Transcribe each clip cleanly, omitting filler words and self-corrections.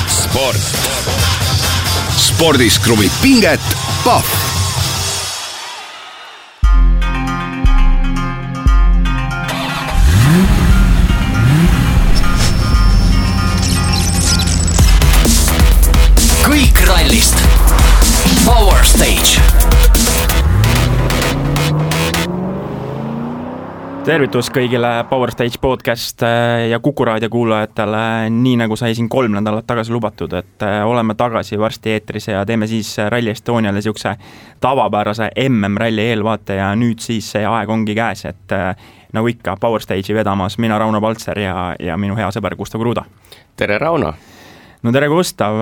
Sport. Spordis kruvib pinget Pahv. Kõik rallist. Power Stage. Tervitus kõigile Power Stage podcast ja Kuku Raadio kuulajatele, nii nagu sai siin 3 nädalat tagasi lubatud, et oleme tagasi varsti eetris ja teeme siis Rally Estoniale siukse tavapärase MM-ralli eelvaate ja nüüd siis see aeg ongi käes, et nagu ikka Power Stage'i vedamas mina Rauno Paltser ja minu hea sõber Gustav Kruda. Tere Rauno! No tere Gustav,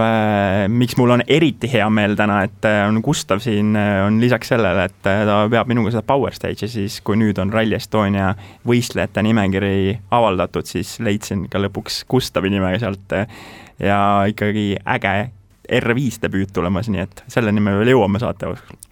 miks mul on eriti hea meel täna, et on Gustav siin on lisaks sellele, et ta peab minuga seda Power Stage'i, siis kui nüüd on Rally Estonia võistlejate nimekiri avaldatud, siis leidsin ka lõpuks Gustavi nimega sealt ja ikkagi äge R5 debüüt tulemas, nii et selle nime veel jõuame saate.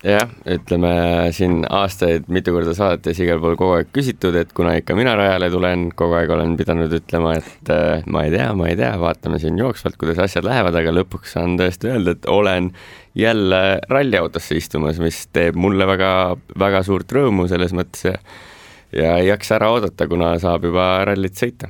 Jah, ütleme siin aastaid mitu korda saates igal pool kogu aeg küsitud, et kuna ikka mina rajale tulen, kogu aeg olen pidanud ütlema, et ma ei tea, vaatame siin jooksvalt, kuidas asjad lähevad, aga lõpuks saan tõesti öelda, et olen jälle ralliautosse istumas, mis teeb mulle väga, väga suurt rõõmu selles mõttes ja ei jaksa ära oodata, kuna saab juba rallit sõita.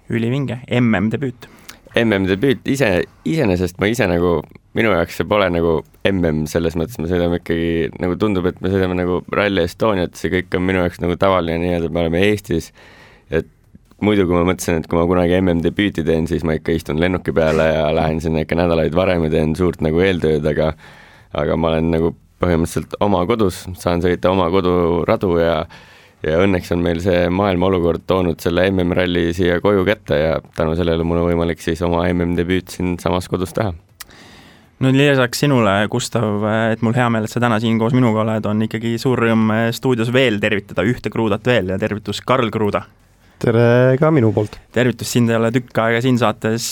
Ülivinge, MM-debüüt. MM-debüüt, iseenesest ma ise nagu, minu jaoks see pole nagu MM selles mõttes, me sõidame ikkagi, nagu tundub, et me sõidame nagu Rally Estoniat, see kõik on minu jaoks nagu tavaline nii-öelda, me oleme Eestis, et muidu kui ma mõtlesin, et kui ma kunagi MM-debüüti teen, siis ma ikka istun lennuki peale ja lähen sinna ikka nädalaid varem ja teen suurt nagu eeltööd, aga ma olen nagu põhimõtteliselt oma kodus, saan sõita oma koduradu ja õnneks on meil see maailma olukord toonud selle MM-ralli siia koju kätte ja tänu sellele mul on võimalik siis oma MM-debüüt siin samas kodus teha. No lisaks sinule, Gustav, et mul hea meel, et sa täna siin koos minuga oled, on ikkagi suur rõõm stuudios veel tervitada ühte Kruudat veel ja tervitus Karl Kruuda. Tere ka minu poolt. Tervitus, sind ei ole tükk aega siin saates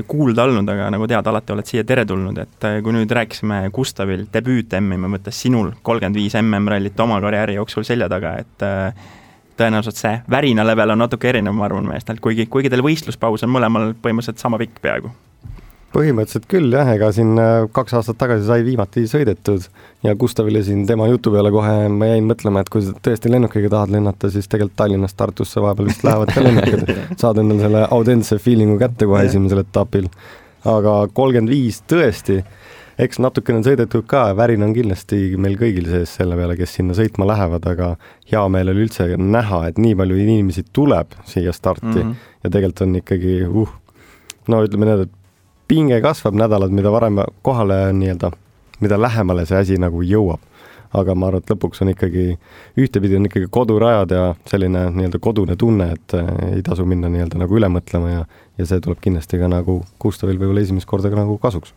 kuulda olnud, aga nagu tead, alati oled siia tere tulnud, et kui nüüd rääkisime Gustavil debüüt MM-i mõttes sinul 35 MM-rallit oma karjääri jooksul selja taga, et tõenäoliselt see värina level on natuke erinev, ma arvan meestelt, kuigi teil võistluspaus on mõlemal põhimõtteliselt sama pikk peaaegu. Põhimõtteliselt küll jah, ega siin 2 aastat tagasi sai viimati sõidetud ja Gustavile siin tema jutu peale kohe ma jäin mõtlema, et kui tõesti lennukiga tahad lennata, siis tegelikult Tallinnast Tartusse vahepeal vist lähevad ka lennukid. Saad endal selle Audense feelingu kätte kohe esimesel etapil. Aga 35 tõesti, eks natukene sõidetud ka, värin on kindlasti meil kõigil sees selle peale, kes sinna sõitma lähevad, aga hea meel oli üldse näha, et nii palju inimesi tuleb siia starti ja tegelikult on ikkagi, no ütleme need, et pinge kasvab nädalad, mida varem kohale nii-öelda, mida lähemale see asi nagu jõuab. Aga ma arvan, et lõpuks on ikkagi, ühtepidi on ikkagi kodurajad ja selline nii-öelda kodune tunne, et ei tasu minna nii-öelda nagu üle mõtlema ja see tuleb kindlasti ka nagu Gustavil võib-olla esimest korda ka nagu kasuks.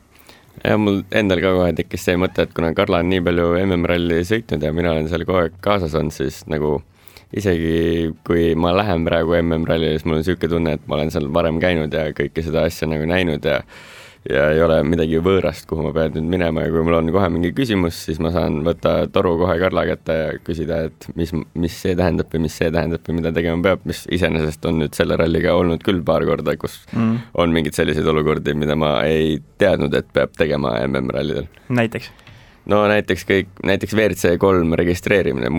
Ja mul endal ka kohe tekkis see mõte, et kuna Karla on nii palju MM-ralli sõitnud ja mina olen seal kogu aeg kaasas on, siis nagu isegi kui ma lähen praegu MM-rallile, siis mul on selline tunne, et ma olen seal varem käinud ja kõike seda asja nagu näinud ja ei ole midagi võõrast, kuhu ma pean nüüd minema ja kui mul on kohe mingi küsimus, siis ma saan võtta toru kohe Karla kätte ja küsida, et mis see tähendab või mida tegema peab, mis iseenesest on nüüd selle ralliga olnud küll paar korda, kus on mingid sellised olukordi, mida ma ei teadnud, et peab tegema MM-rallidel. Näiteks? No näiteks WRC3 registreerimine,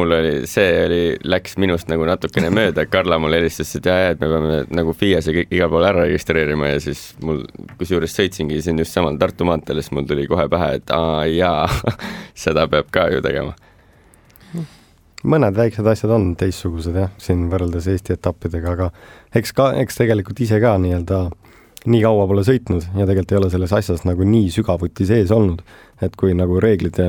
läks minust nagu natukene mööda, Karla mul helistas, et me peame nagu FIAs ja igal pool ära registreerima ja siis mul, kusjuures sõitsingi siin just samal Tartu maanteel, siis mul tuli kohe pähe, et seda peab ka ju tegema. Mõned väiksed asjad on teistsugused jah, siin võrreldes Eesti etappidega, aga eks tegelikult ise ka nii kaua pole sõitnud ja tegelikult ei ole selles asjas nagu nii sügavuti sees olnud, et kui nagu reeglid ja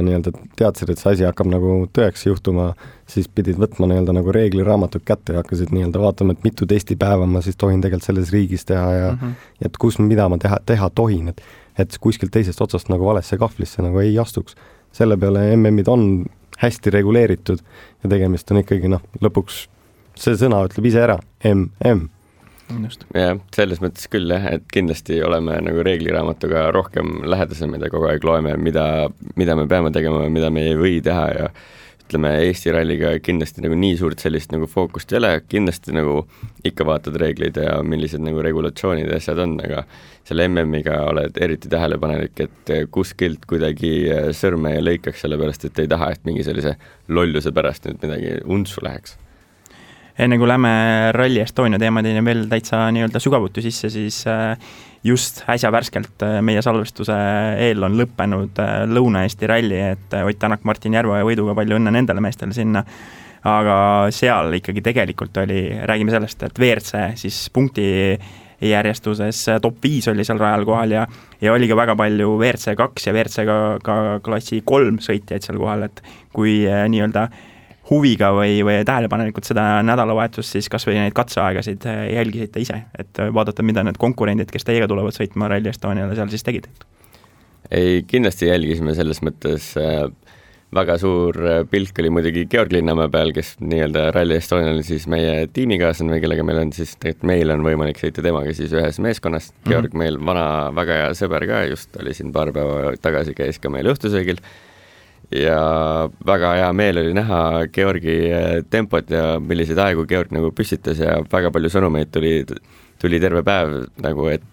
teadsid, et see asi hakkab nagu tõeks juhtuma, siis pidid võtma nagu reegliraamatut kätte ja hakkasid vaatama, et mitu testipäeva ma siis tohin tegelikult selles riigis teha ja et kus mida ma teha tohin, et kuskilt teisest otsast nagu valesse kahvlisse nagu ei astuks. Selle peale MM-id on hästi reguleeritud ja tegemist on ikkagi lõpuks see sõna ütleb ise ära, MM. Ja selles mõttes küll jah, et kindlasti oleme nagu reegliraamatuga rohkem lähedasem, mida kogu aeg loeme, mida me peame tegema ja mida me ei või teha ja ütleme, Eesti ralliga kindlasti nagu nii suurt sellist nagu fookust ei ole, kindlasti nagu ikka vaatad reegleid ja millised nagu regulatsioonid ja asjad on, aga selle MM-iga oled eriti tähelepanelik, et kuskilt kuidagi sõrme ei lõikaks, sellepärast et ei taha, et mingi sellise lolluse pärast nüüd midagi untsu läheks. Enne kui lähme Rally Estonia teemadeni veel täitsa nii-öelda sügavuti sisse, siis just äsja värskelt meie salvestuse eel on lõppenud Lõuna-Eesti ralli, et Ott Tänak, Martin Järveoja võiduga, palju õnne nendele meestele sinna, aga seal ikkagi tegelikult oli, räägime sellest, et WRC siis punkti järjestuses top 5 oli seal rajal kohal ja oli ka väga palju WRC 2 ja WRC ka klassi 3 sõitjaid seal kohal, et kui nii-öelda huviga või tähelepanelikult seda nädalavahetust, siis kas või neid katseaegasid jälgisite ise, et vaadata, mida need konkurendid, kes teiega tulevad sõitma Rally Estoniale, seal siis tegid? Ei, kindlasti jälgisime selles mõttes, väga suur pilk oli muidugi Georg Linnamäe peal, kes nii-öelda Rally Estonial siis meie tiimikaaslane või kellega meil on siis, tegelikult meil on võimalik sõita temaga siis ühes meeskonnas. Georg meil vana väga hea sõber ka, just oli siin paar päeva tagasi, käis ka meil õhtusöögil ja väga hea meel oli näha Georgi tempot ja milliseid aegu Georg nagu püstitas ja väga palju sõnumeid tuli terve päev nagu, et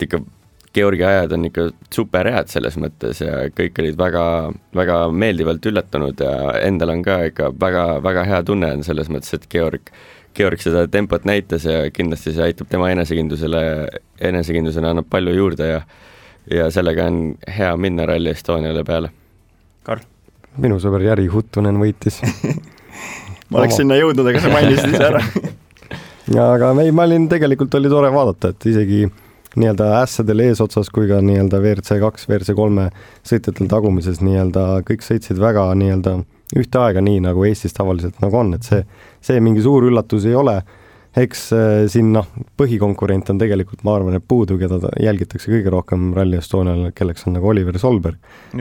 ikka Georgi ajad on ikka super head selles mõttes ja kõik olid väga, väga meeldivalt üllatunud ja endal on ka ikka väga, väga hea tunne on selles mõttes, et Georg seda tempot näitas ja kindlasti see aitab tema enesekindlusele annab palju juurde ja sellega on hea minna Rally Estoniale peale. Karl? Minu sõber Jari Huttunen võitis. Ma oleks sinna jõudnud, aga sa mainisid ise ära. Aga ma olin, tegelikult oli tore vaadata, et isegi nii-öelda ässadel eesotsas kui ka nii-öelda WRC 2, WRC 3 sõitjatel tagumises nii-öelda kõik sõitsid väga nii-öelda ühte aega nii, nagu Eestis tavaliselt nagu on, et see mingi suur üllatus ei ole. Eks siin põhikonkurent on tegelikult, ma arvan, et puudu, keda jälgitakse kõige rohkem Rally Estonial, kelleks on nagu Oliver Solberg,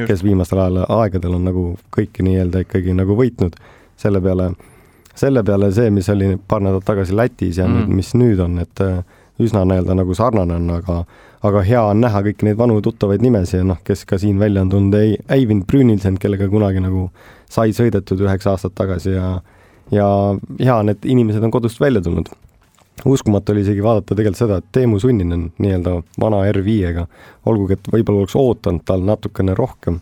kes viimastel aegadel on nagu kõiki nii-öelda ikkagi nagu võitnud. Selle peale see, mis oli paar nädalat tagasi Lätis ja nüüd, mis nüüd on, et üsna nii-öelda nagu sarnane on, aga hea on näha kõiki neid vanu tuttavaid nimesi ja kes ka siin välja on tulnud, Eivind Brünilsen, kellega kunagi nagu sai sõidetud 9 aastat tagasi ja hea on, et inimesed on kodust välja tulnud. Uskumatu oli isegi vaadata tegelikult seda, et Teemu Sunninen nii-öelda vana R5-ga, olgugi, et võib-olla oleks ootanud tal natukene rohkem,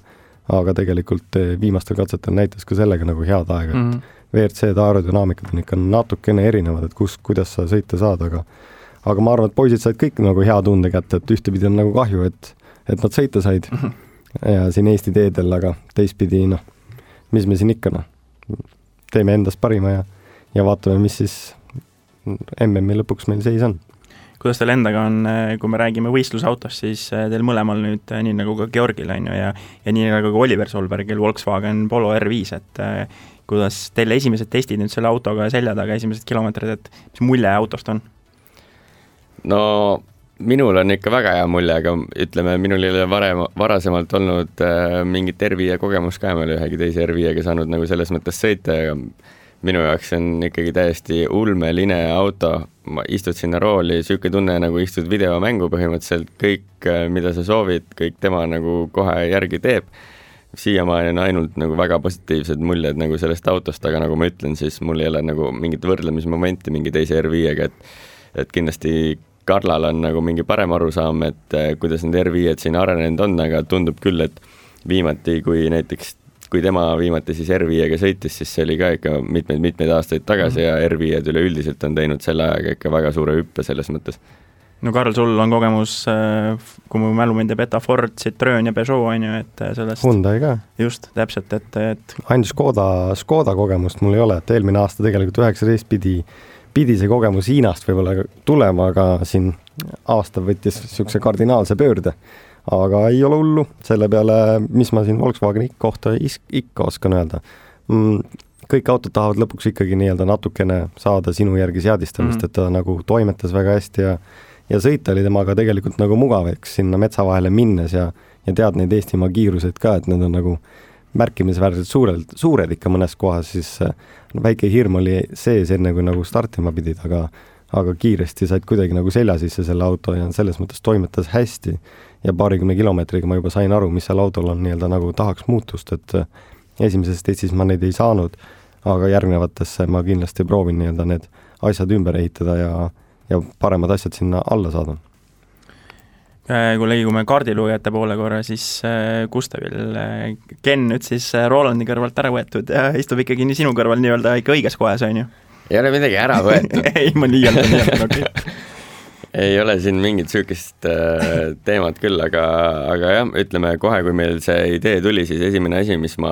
aga tegelikult viimastel katsetel näitas ka sellega nagu head aega, et WRC-d aerodünaamikad on ikka natukene erinevad, et kuidas sa sõita saad, aga ma arvan, et poisid said kõik nagu hea tunde kätte, et ühtepidi on nagu kahju, et nad sõita said ja siin Eesti teedel, aga teistpidi, mis me siin ikka, teeme endast parima ja vaatame, mis siis MM-i lõpuks meil seis on. Kuidas teil endaga on, kui me räägime võistlusautost, siis teil mõlemal nüüd nii nagu ka Georgil on ju ja nii nagu ka Oliver Solbergil Volkswagen Polo R5, et kuidas teil esimesed testid nüüd selle autoga selja taga, esimesed kilomeetrid, et mis mulje autost on? No minul on ikka väga hea mulje, aga ütleme, minul ei ole varasemalt olnud mingit R5 kogemus ka, ma ei ole ühegi teise R5-ga saanud nagu selles mõttes sõita ja minu jaoks on ikkagi täiesti ulmeline auto, ma istud sinna rooli, siuke tunne nagu istud videomängu põhimõtteliselt, kõik, mida sa soovid, kõik tema nagu kohe järgi teeb. Siiamaani on ainult nagu väga positiivsed muljed nagu sellest autost, aga nagu ma ütlen, siis mul ei ole nagu mingit võrdlemismomenti mingi teise R5-ga, et kindlasti Karlal on nagu mingi parem arusaam, et kuidas need R5-d siin arenenud on, aga tundub küll, et viimati, kui tema viimati siis R5-ga sõitis, siis see oli ka ikka mitmeid aastaid tagasi ja R5-d üleüldiselt on teinud selle ajaga ikka väga suure hüppe selles mõttes. No Karl, sul on kogemus, kui mu mälu mind ei peta, Ford, Citroen ja Peugeot on ju, et sellest... Hyundai ka. Just, täpselt, et... Ainult Škoda kogemust mul ei ole, et eelmine aasta tegelikult 19 pidi see kogemus Hiinast võib-olla tulema, aga siin aasta võttis niisuguse kardinaalse pöörde. Aga ei ole hullu, selle peale, mis ma siin Volkswageni kohta ikka oskan öelda. Kõik autod tahavad lõpuks ikkagi nii-öelda natukene saada sinu järgi seadistamist, et ta nagu toimetas väga hästi ja sõita oli temaga tegelikult nagu mugav, eks sinna metsa vahele minnes ja tead neid Eestimaa kiiruseid ka, et need on nagu märkimisväärselt suured ikka mõnes kohas, siis väike hirm oli sees enne kui nagu startima pidid, aga kiiresti said kuidagi nagu selja sisse selle auto ja selles mõttes toimetas hästi ja 20 kilomeetriga ma juba sain aru, mis seal autol on nii-öelda nagu tahaks muutust, et esimeses testis ma neid ei saanud, aga järgnevatesse ma kindlasti proovin nii-öelda need asjad ümber ehitada ja paremad asjad sinna alla saada. Kui liigume kaardilujate poole korra, siis Gustavil Ken nüüd siis Rolandi kõrvalt ära võetud ja istub ikkagi sinu kõrval nii-öelda ikka õiges kohas, on ju? Ei ole midagi ära võetud. Ei, ma liialdan, okei. Ei ole siin mingit süükist teemat küll, aga jah, ütleme kohe, kui meil see idee tuli, siis esimene asi, mis ma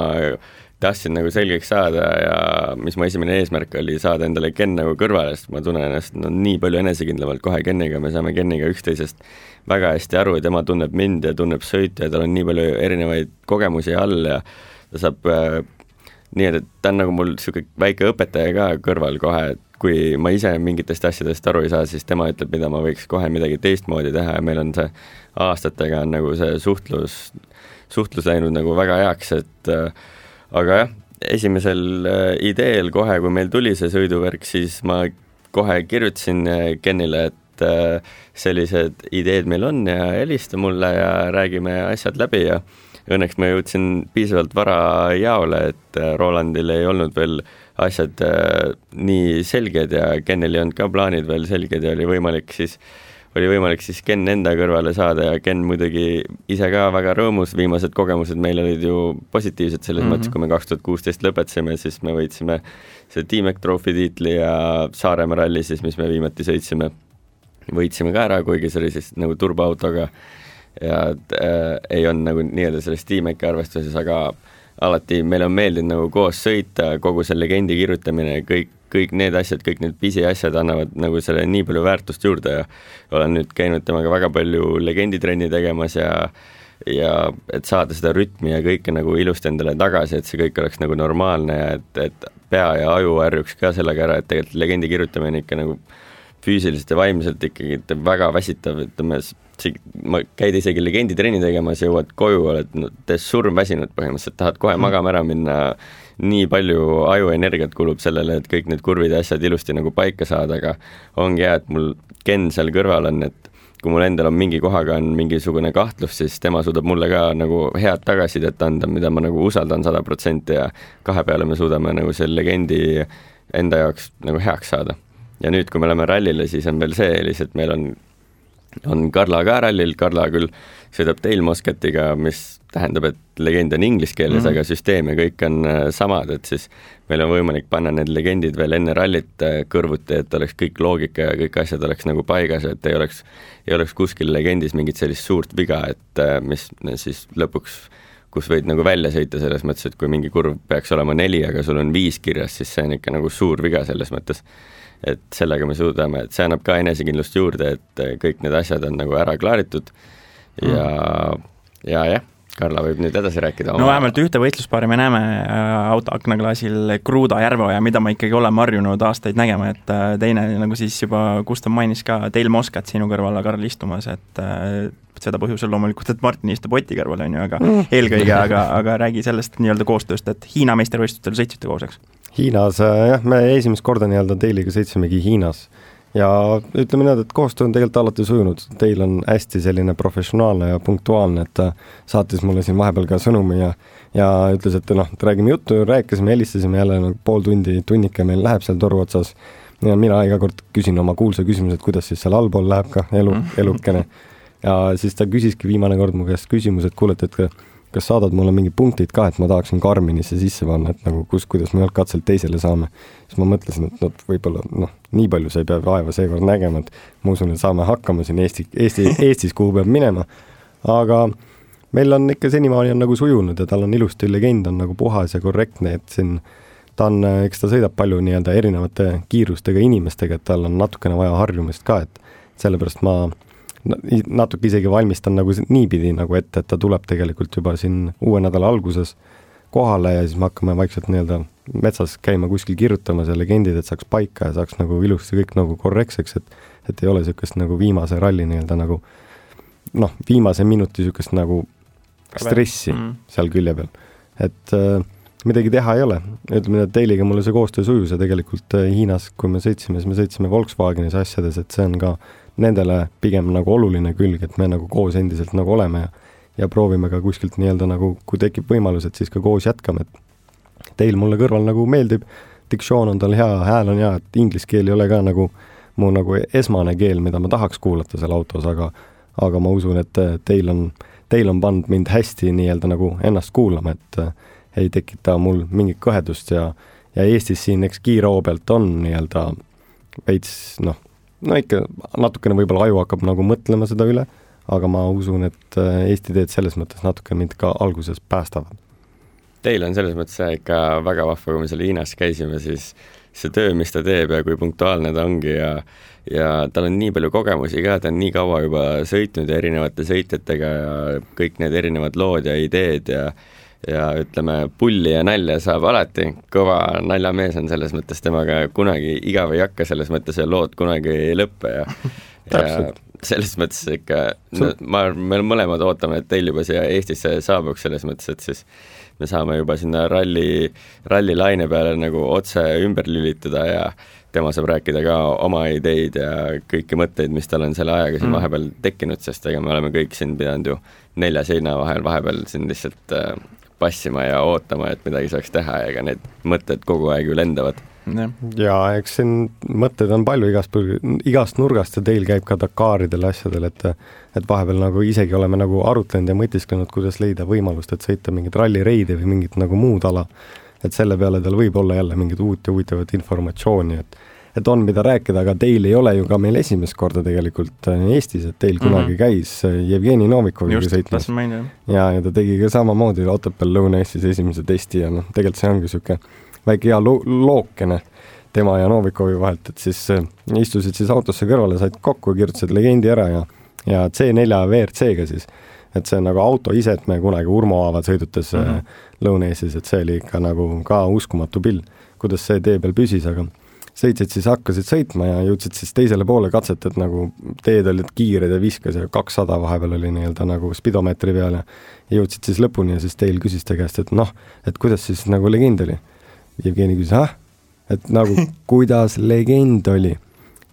tahtsin nagu selgeks saada ja mis mu esimene eesmärk oli saada endale Ken nagu kõrvale, sest ma tunnen ennast nii palju enesekindlamalt kohe Keniga, me saame Keniga üksteisest väga hästi aru ja tema tunneb mind ja tunneb sõitu ja tal on nii palju erinevaid kogemusi all ja ta saab nii, et ta on nagu mul niisugune väike õpetaja ka kõrval kohe, et kui ma ise mingitest asjadest aru ei saa, siis tema ütleb, mida ma võiks kohe midagi teistmoodi teha ja meil on see aastatega on nagu see suhtlus läinud nagu väga heaks, et aga jah, esimesel ideel kohe, kui meil tuli see sõiduvärk, siis ma kohe kirjutasin Kenile, et sellised ideed meil on ja helista mulle ja räägime asjad läbi ja õnneks ma jõudsin piisavalt vara jaole, et Rolandil ei olnud veel asjad nii selged ja Kenil ei olnud ka plaanid veel selged ja oli võimalik siis Ken enda kõrvale saada ja Ken muidugi ise ka väga rõõmus, viimased kogemused meil olid ju positiivsed selles mõttes, kui me 2016 lõpetasime, siis me võitsime see T-Mac Trophy tiitli ja Saaremaa ralli siis, mis me viimati sõitsime, võitsime ka ära, kuigi see oli siis nagu turboautoga ja ei olnud nagu nii-öelda selles T-Maci arvestuses, aga alati meil on meeldinud nagu koos sõita, kogu selle legendi kirjutamine, kõik need asjad, kõik need pisiasjad annavad nagu selle nii palju väärtust juurde ja olen nüüd käinud temaga väga palju legenditrenni tegemas ja et saada seda rütmi ja kõike nagu ilusti endale tagasi, et see kõik oleks nagu normaalne ja et pea ja aju harjuks ka sellega ära, et tegelikult legendi kirjutamine ikka nagu füüsiliselt ja vaimselt ikkagi väga väsitav, ütleme, ma käid isegi legenditrenni tegemas, jõuad koju, oled surmväsinud põhimõtteliselt, tahad kohe magama ära minna, nii palju ajuenergiat kulub sellele, et kõik need kurvid ja asjad ilusti nagu paika saada, aga ongi hea, et mul Ken seal kõrval on, et kui mul endal on mingi kohaga on mingisugune kahtlus, siis tema suudab mulle ka nagu head tagasisidet anda, mida ma nagu usaldan 100% ja kahe peale me suudame nagu selle legendi enda jaoks nagu heaks saada. Ja nüüd, kui me oleme rallile, siis on veel see eelis, et meil on Karla ka rallil, Karla küll sõidab Dale Moscatiga, mis tähendab, et legend on inglise keeles, aga süsteem ja kõik on samad, et siis meil on võimalik panna need legendid veel enne rallit kõrvuti, et oleks kõik loogika ja kõik asjad oleks nagu paigas, et ei oleks kuskil legendis mingit sellist suurt viga, et mis siis lõpuks, kus võid nagu välja sõita selles mõttes, et kui mingi kurv peaks olema 4, aga sul on 5 kirjas, siis see on ikka nagu suur viga selles mõttes. Et sellega me suudame, et see annab ka enesekindlust juurde, et kõik need asjad on nagu ära klaaritud ja Karla võib nüüd edasi rääkida. No vähemalt ühte võistluspaari me näeme autoaknaklaasil Kruuda Järveoja, mida ma ikkagi oleme harjunud aastaid nägema, et teine, nagu siis juba Gustav mainis ka, Dale Moscat sinu kõrval Karl istumas, et seda põhjusel loomulikult, et Martin istub Oti kõrval, on ju, aga eelkõige, aga räägi sellest nii-öelda koostööst, et Hiina meistervõistlustel sõitsite koos, eks? Hiinas, jah, me esimest korda nii-öelda Dailyga sõitsimegi Hiinas ja ütleme nii, et koostöö on tegelikult alati sujunud. Teil on hästi selline professionaalne ja punktuaalne, et ta saatis mulle siin vahepeal ka sõnumi ja ütles, et räägime juttu, rääkisime, helistasime jälle pool tundi, tunnike meil läheb seal toru otsas ja mina iga kord küsin oma kuulsa küsimuse, et kuidas siis seal allpool läheb ka elukene ja siis ta küsiski viimane kord mu käest küsimus, et kuulet, et kas saadad mulle mingi punktid ka, et ma tahaksin Karminisse sisse panna, et nagu kuidas me katselt teisele saame. Siis ma mõtlesin, et võib-olla nii palju sa ei pea vaeva seekord nägema, et ma usun, et saame hakkama siin Eestis, kuhu peab minema. Aga meil on ikka senimaani on nagu sujunud ja tal on ilusti legend, on nagu puhas ja korrektne, et siin eks ta sõidab palju nii-öelda erinevate kiirustega inimestega, et tal on natukene vaja harjumist ka, et sellepärast ma natuke isegi valmistan nagu niipidi nagu ette, et ta tuleb tegelikult juba siin uue nädala alguses kohale ja siis me hakkame vaikselt nii-öelda metsas käima kuskil kirjutama see legendid, et saaks paika ja saaks nagu ilusti kõik nagu korrektseks, et ei ole niisugust nagu viimase ralli nii-öelda nagu viimase minuti niisugust nagu stressi seal külje peal. Et midagi teha ei ole. Ütleme, et Dailyga mulle see koostöö sujus ja tegelikult Hiinas, kui me sõitsime Volkswagenis asjades, et see on ka nendele pigem nagu oluline külg, et me nagu koos endiselt nagu oleme ja proovime ka kuskilt nii-öelda nagu, kui tekib võimalus, et siis ka koos jätkame, et teil mulle kõrval nagu meeldib, diktsioon on tal hea, hääl on hea, et inglise keel ei ole ka nagu mu nagu esmane keel, mida ma tahaks kuulata seal autos, aga ma usun, et teil on pannud mind hästi nii-öelda nagu ennast kuulama, et ei tekita mul mingit kõhedust ja Eestis siin eks kiiroo pealt on nii-öelda veits, no ikka natukene võib-olla aju hakkab nagu mõtlema seda üle, aga ma usun, et Eesti teed selles mõttes natuke mind ka alguses päästavad. Teil on selles mõttes ikka väga vahva, kui me seal Hiinas käisime, siis see töö, mis ta teeb ja kui punktuaalne ta ongi ja tal on nii palju kogemusi ka, ta on nii kaua juba sõitnud ja erinevate sõitjatega ja kõik need erinevad lood ja ideed ja ütleme, pulli ja nalja saab alati, kõva naljamees on selles mõttes, temaga kunagi igav ei hakka, selles mõttes ja lood kunagi ei lõppe ja selles mõttes ikka, me mõlemad ootame, et teil juba siia Eestisse saabuks selles mõttes, et siis me saame juba sinna ralli laine peale nagu otse ümber lülituda ja tema saab rääkida ka oma ideid ja kõiki mõtteid, mis tal on selle ajaga siin vahepeal tekkinud, sest ega me oleme kõik siin pidanud ju 4 seina vahepeal siin lihtsalt passima ja ootama, et midagi saaks teha ja ega need mõtted kogu aeg ju lendavad. Ja eks siin mõtted on palju igast nurgast ja teil käib ka Dakaridel asjadel, et vahepeal nagu isegi oleme nagu arutlenud ja mõtisklenud, kuidas leida võimalust, et sõita mingit rallireidi või mingit nagu muud ala, et selle peale tal võib olla jälle mingit uut ja huvitavat informatsiooni, et on mida rääkida, aga teil ei ole ju ka meil esimest korda tegelikult Eestis, et teil kunagi käis Jevgeni Novikoviga sõitmas ja ta tegi ka samamoodi Otepääl Lõuna-Eestis esimese testi ja tegelikult see ongi siuke väike hea lookene tema ja Novikovi vahelt, et siis istusid siis autosse kõrvale, said kokku ja kirjutasid legendi ära ja C4 VRC-ga siis, et see on nagu auto ise, et me kunagi Urmo Aavad sõidutes Lõuna-Eestis, et see oli ikka nagu ka uskumatu pill, kuidas see tee peal püsis, aga sõitsid siis, hakkasid sõitma ja jõudsid siis teisele poole katset, et nagu teed olid kiired ja viskas ja 200 vahepeal oli nii-öelda nagu spidomeetri peal ja jõudsid siis lõpuni ja siis teil küsis ta käest, et et kuidas siis nagu legend oli. Jevgeni küsis, et nagu kuidas legend oli.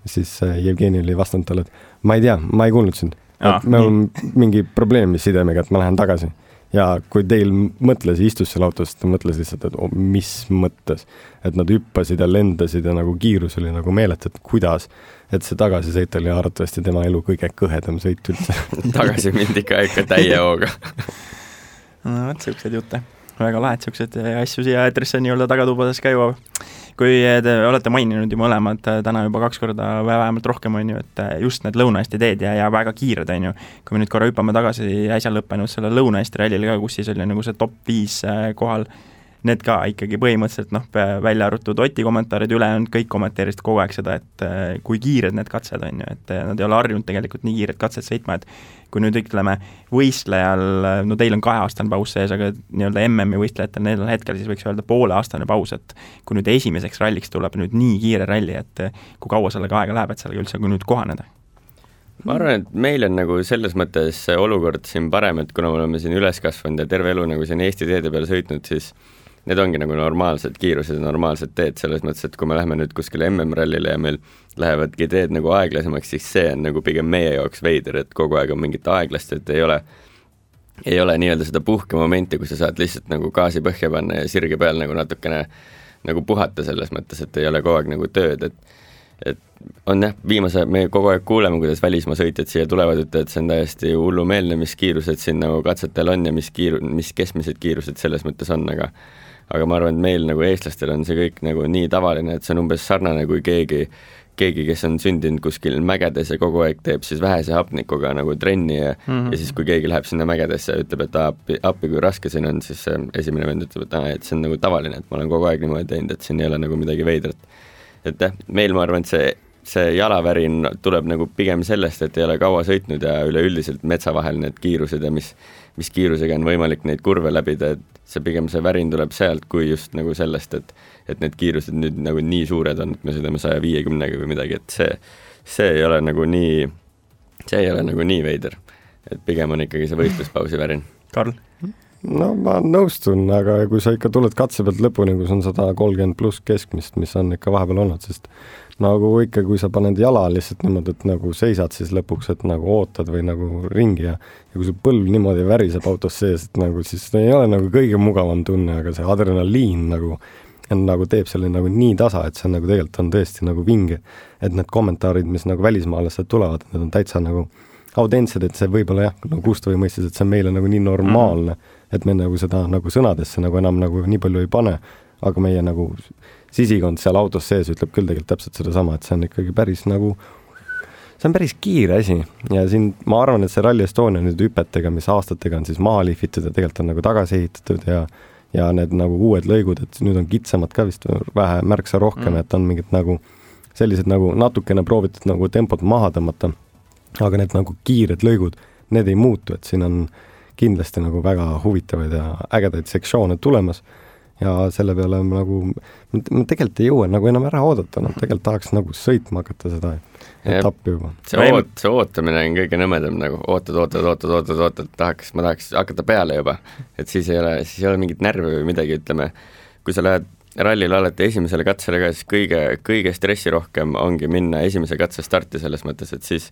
Siis Jevgeni oli vastanud talle, et ma ei tea, ma ei kuulnud sind. Et meil on mingi probleem sidemega, et ma lähen tagasi. Ja kui teil mõtles, istus seal autos, ta mõtles lihtsalt, et mis mõttes, et nad hüppasid ja lendasid ja nagu kiirus oli nagu meelet, et kuidas, et see tagasisõit oli arvatavasti tema elu kõige kõhedam sõit üldse. Tagasi mindi ikka täie hooga. No, siuksed jutte. Väga lahed siuksed asju siia eetrisse nii-öelda tagatubades käiva. Kui te olete maininud ju mõlemad täna juba 2 korda vähemalt rohkem on ju, et just need Lõuna-Eesti teed ja väga kiired on ju. Kui me nüüd korra hüppame tagasi äsja lõppenud selle Lõuna-Eesti rallile ka, kus siis oli nagu see top 5 kohal, need ka ikkagi põhimõtteliselt välja arvutud Oti kommentaarid üle on kõik kommenteerisid kogu aeg seda, et kui kiired need katsed on ju, et nad ei ole harjunud tegelikult nii kiired katsed sõitma, et kui nüüd ütleme võistlejal, no teil on 2-aastane paus sees, aga nii-öelda MM-i võistlejatel neil hetkel siis võiks öelda 5-aastane paus, et kui nüüd esimeseks ralliks tuleb nüüd nii kiire ralli, et kui kaua sellega aega läheb, et sellega üldse kui nüüd kohaneda? Ma arvan, et meil on nagu selles mõttes olukord siin parem, et kuna me oleme siin üles kasvanud ja terve elu nagu siin Eesti teede peale sõitnud, siis need ongi nagu normaalsed kiirused ja normaalsed teed selles mõttes, et kui me läheme nüüd kuskile MM-rallile ja meil lähevadki teed nagu aeglasemaks, siis see on nagu pigem meie jaoks veider, et kogu aeg on mingit aeglast, et ei ole nii-öelda seda puhkemomenti, kus sa saad lihtsalt nagu gaasi põhja panna ja sirge peal nagu natukene nagu puhata selles mõttes, et ei ole kogu aeg nagu tööd, et on me kogu aeg kuuleme, kuidas välismaa sõitjad siia tulevad, et see on täiesti hullumeelne, mis kiirused siin nagu katsetel on ja mis keskmised kiirused selles mõttes on, aga ma arvan, et meil nagu eestlastel on see kõik nagu nii tavaline, et see on umbes sarnane, kui keegi, kes on sündinud kuskil mägedes ja kogu aeg teeb siis vähese hapnikuga nagu trenni ja siis kui keegi läheb sinna mägedesse ja ütleb, et appi kui raske siin on, siis esimene vend ütleb, et see on nagu tavaline, et ma olen kogu aeg niimoodi teinud, et siin ei ole nagu midagi veidrat. Et meil ma arvan, et see jalavärin tuleb nagu pigem sellest, et ei ole kaua sõitnud ja üleüldiselt metsa vahel need kiirused ja mis kiirusega on võimalik neid kurve läbida, et see värin tuleb sealt kui just nagu sellest, et need kiirused nüüd nagu nii suured on, et me sõidame 150 või midagi, et see ei ole nagu nii veider, et pigem on ikkagi see võistluspausi värin. Karl? no ma nõustun, aga kui sa ikka tuled katse pealt lõpuni, kus on 130 pluss keskmist, mis on ikka vahepeal olnud, sest nagu ikka, kui sa paned jala lihtsalt niimoodi, et nagu seisad siis lõpuks, et nagu ootad või nagu ringi ja kui su põlv niimoodi väriseb autos sees, et nagu siis ei ole nagu kõige mugavam tunne, aga see adrenaliin nagu teeb selle nagu nii tasa, et see nagu tegelikult on tõesti nagu vinge, et need kommentaarid, mis nagu välismaalased tulevad, need on täitsa nagu autentsed, et see võib-olla jah, nagu Gustav mõistis, et see on meile nagu nii normaalne, et me nagu seda nagu sõnadesse nagu enam nagu nii palju ei pane, aga meie nagu sisikond seal autos sees ütleb küll tegelikult täpselt sedasama, et see on ikkagi päris nagu, see on päris kiire asi ja siin ma arvan, et see Rally Estonia nüüd hüpetega, mis aastatega on siis maha lihvitud ja tegelikult on nagu tagasi ehitatud ja need nagu uued lõigud, et nüüd on kitsamad ka vist vähe märksa rohkem, et on mingid nagu sellised nagu natukene proovitud nagu tempot maha tõmmata, aga need nagu kiired lõigud, need ei muutu, et siin on kindlasti nagu väga huvitavaid ja ägedaid sektsioone tulemas ja selle peale nagu, ma tegelikult ei jõua nagu enam ära oodata, tegelikult tahaks nagu sõitma hakata seda etappi juba. See ootamine on kõige nõmedam, nagu ootad, ma tahaks hakata peale juba, et siis ei ole mingit närvi või midagi, ütleme, kui sa lähed rallil alati esimesele katsele ka, siis kõige stressirohkem ongi minna esimese katse starti selles mõttes, et siis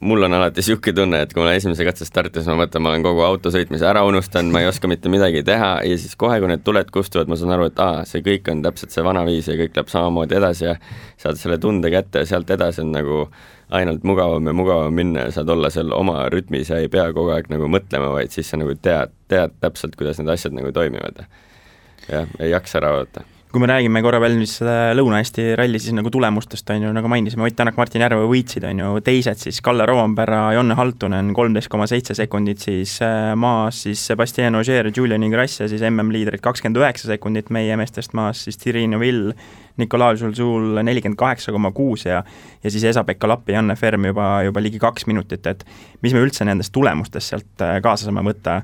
mul on alati siuke tunne, et kui ma olen esimese katse startis, ma mõtlen, ma olen kogu auto sõitmise ära unustanud, ma ei oska mitte midagi teha ja siis kohe, kui need tuled kustuvad, ma saan aru, et see kõik on täpselt see vana viis ja kõik läheb samamoodi edasi ja saad selle tunde kätte ja sealt edasi on nagu ainult mugavam ja mugavam minna ja saad olla seal oma rütmis ja ei pea kogu aeg nagu mõtlema, vaid siis sa nagu tead täpselt, kuidas need asjad nagu toimivad ja ei jaksa ära oodata. Kui me räägime korra veel seda Lõuna-Eesti ralli, siis nagu tulemustest on ju, nagu mainisime, Ott Tänak, Martin Järve võitsid, on ju, teised siis Kalle Rovanpera, Jonne Haltunen 13,7 sekundit siis maas, siis Sebastien Ogier, Julian Ingrassia, siis MM-liidrid 29 sekundit meie meestest maas, siis Thierry Neuville, Nikolai Žulžul 48,6 ja siis Esa-Pekka Lappi, Janne Ferm juba ligi 2 minutit, et mis me üldse nendest tulemustest sealt kaasa saame võtta.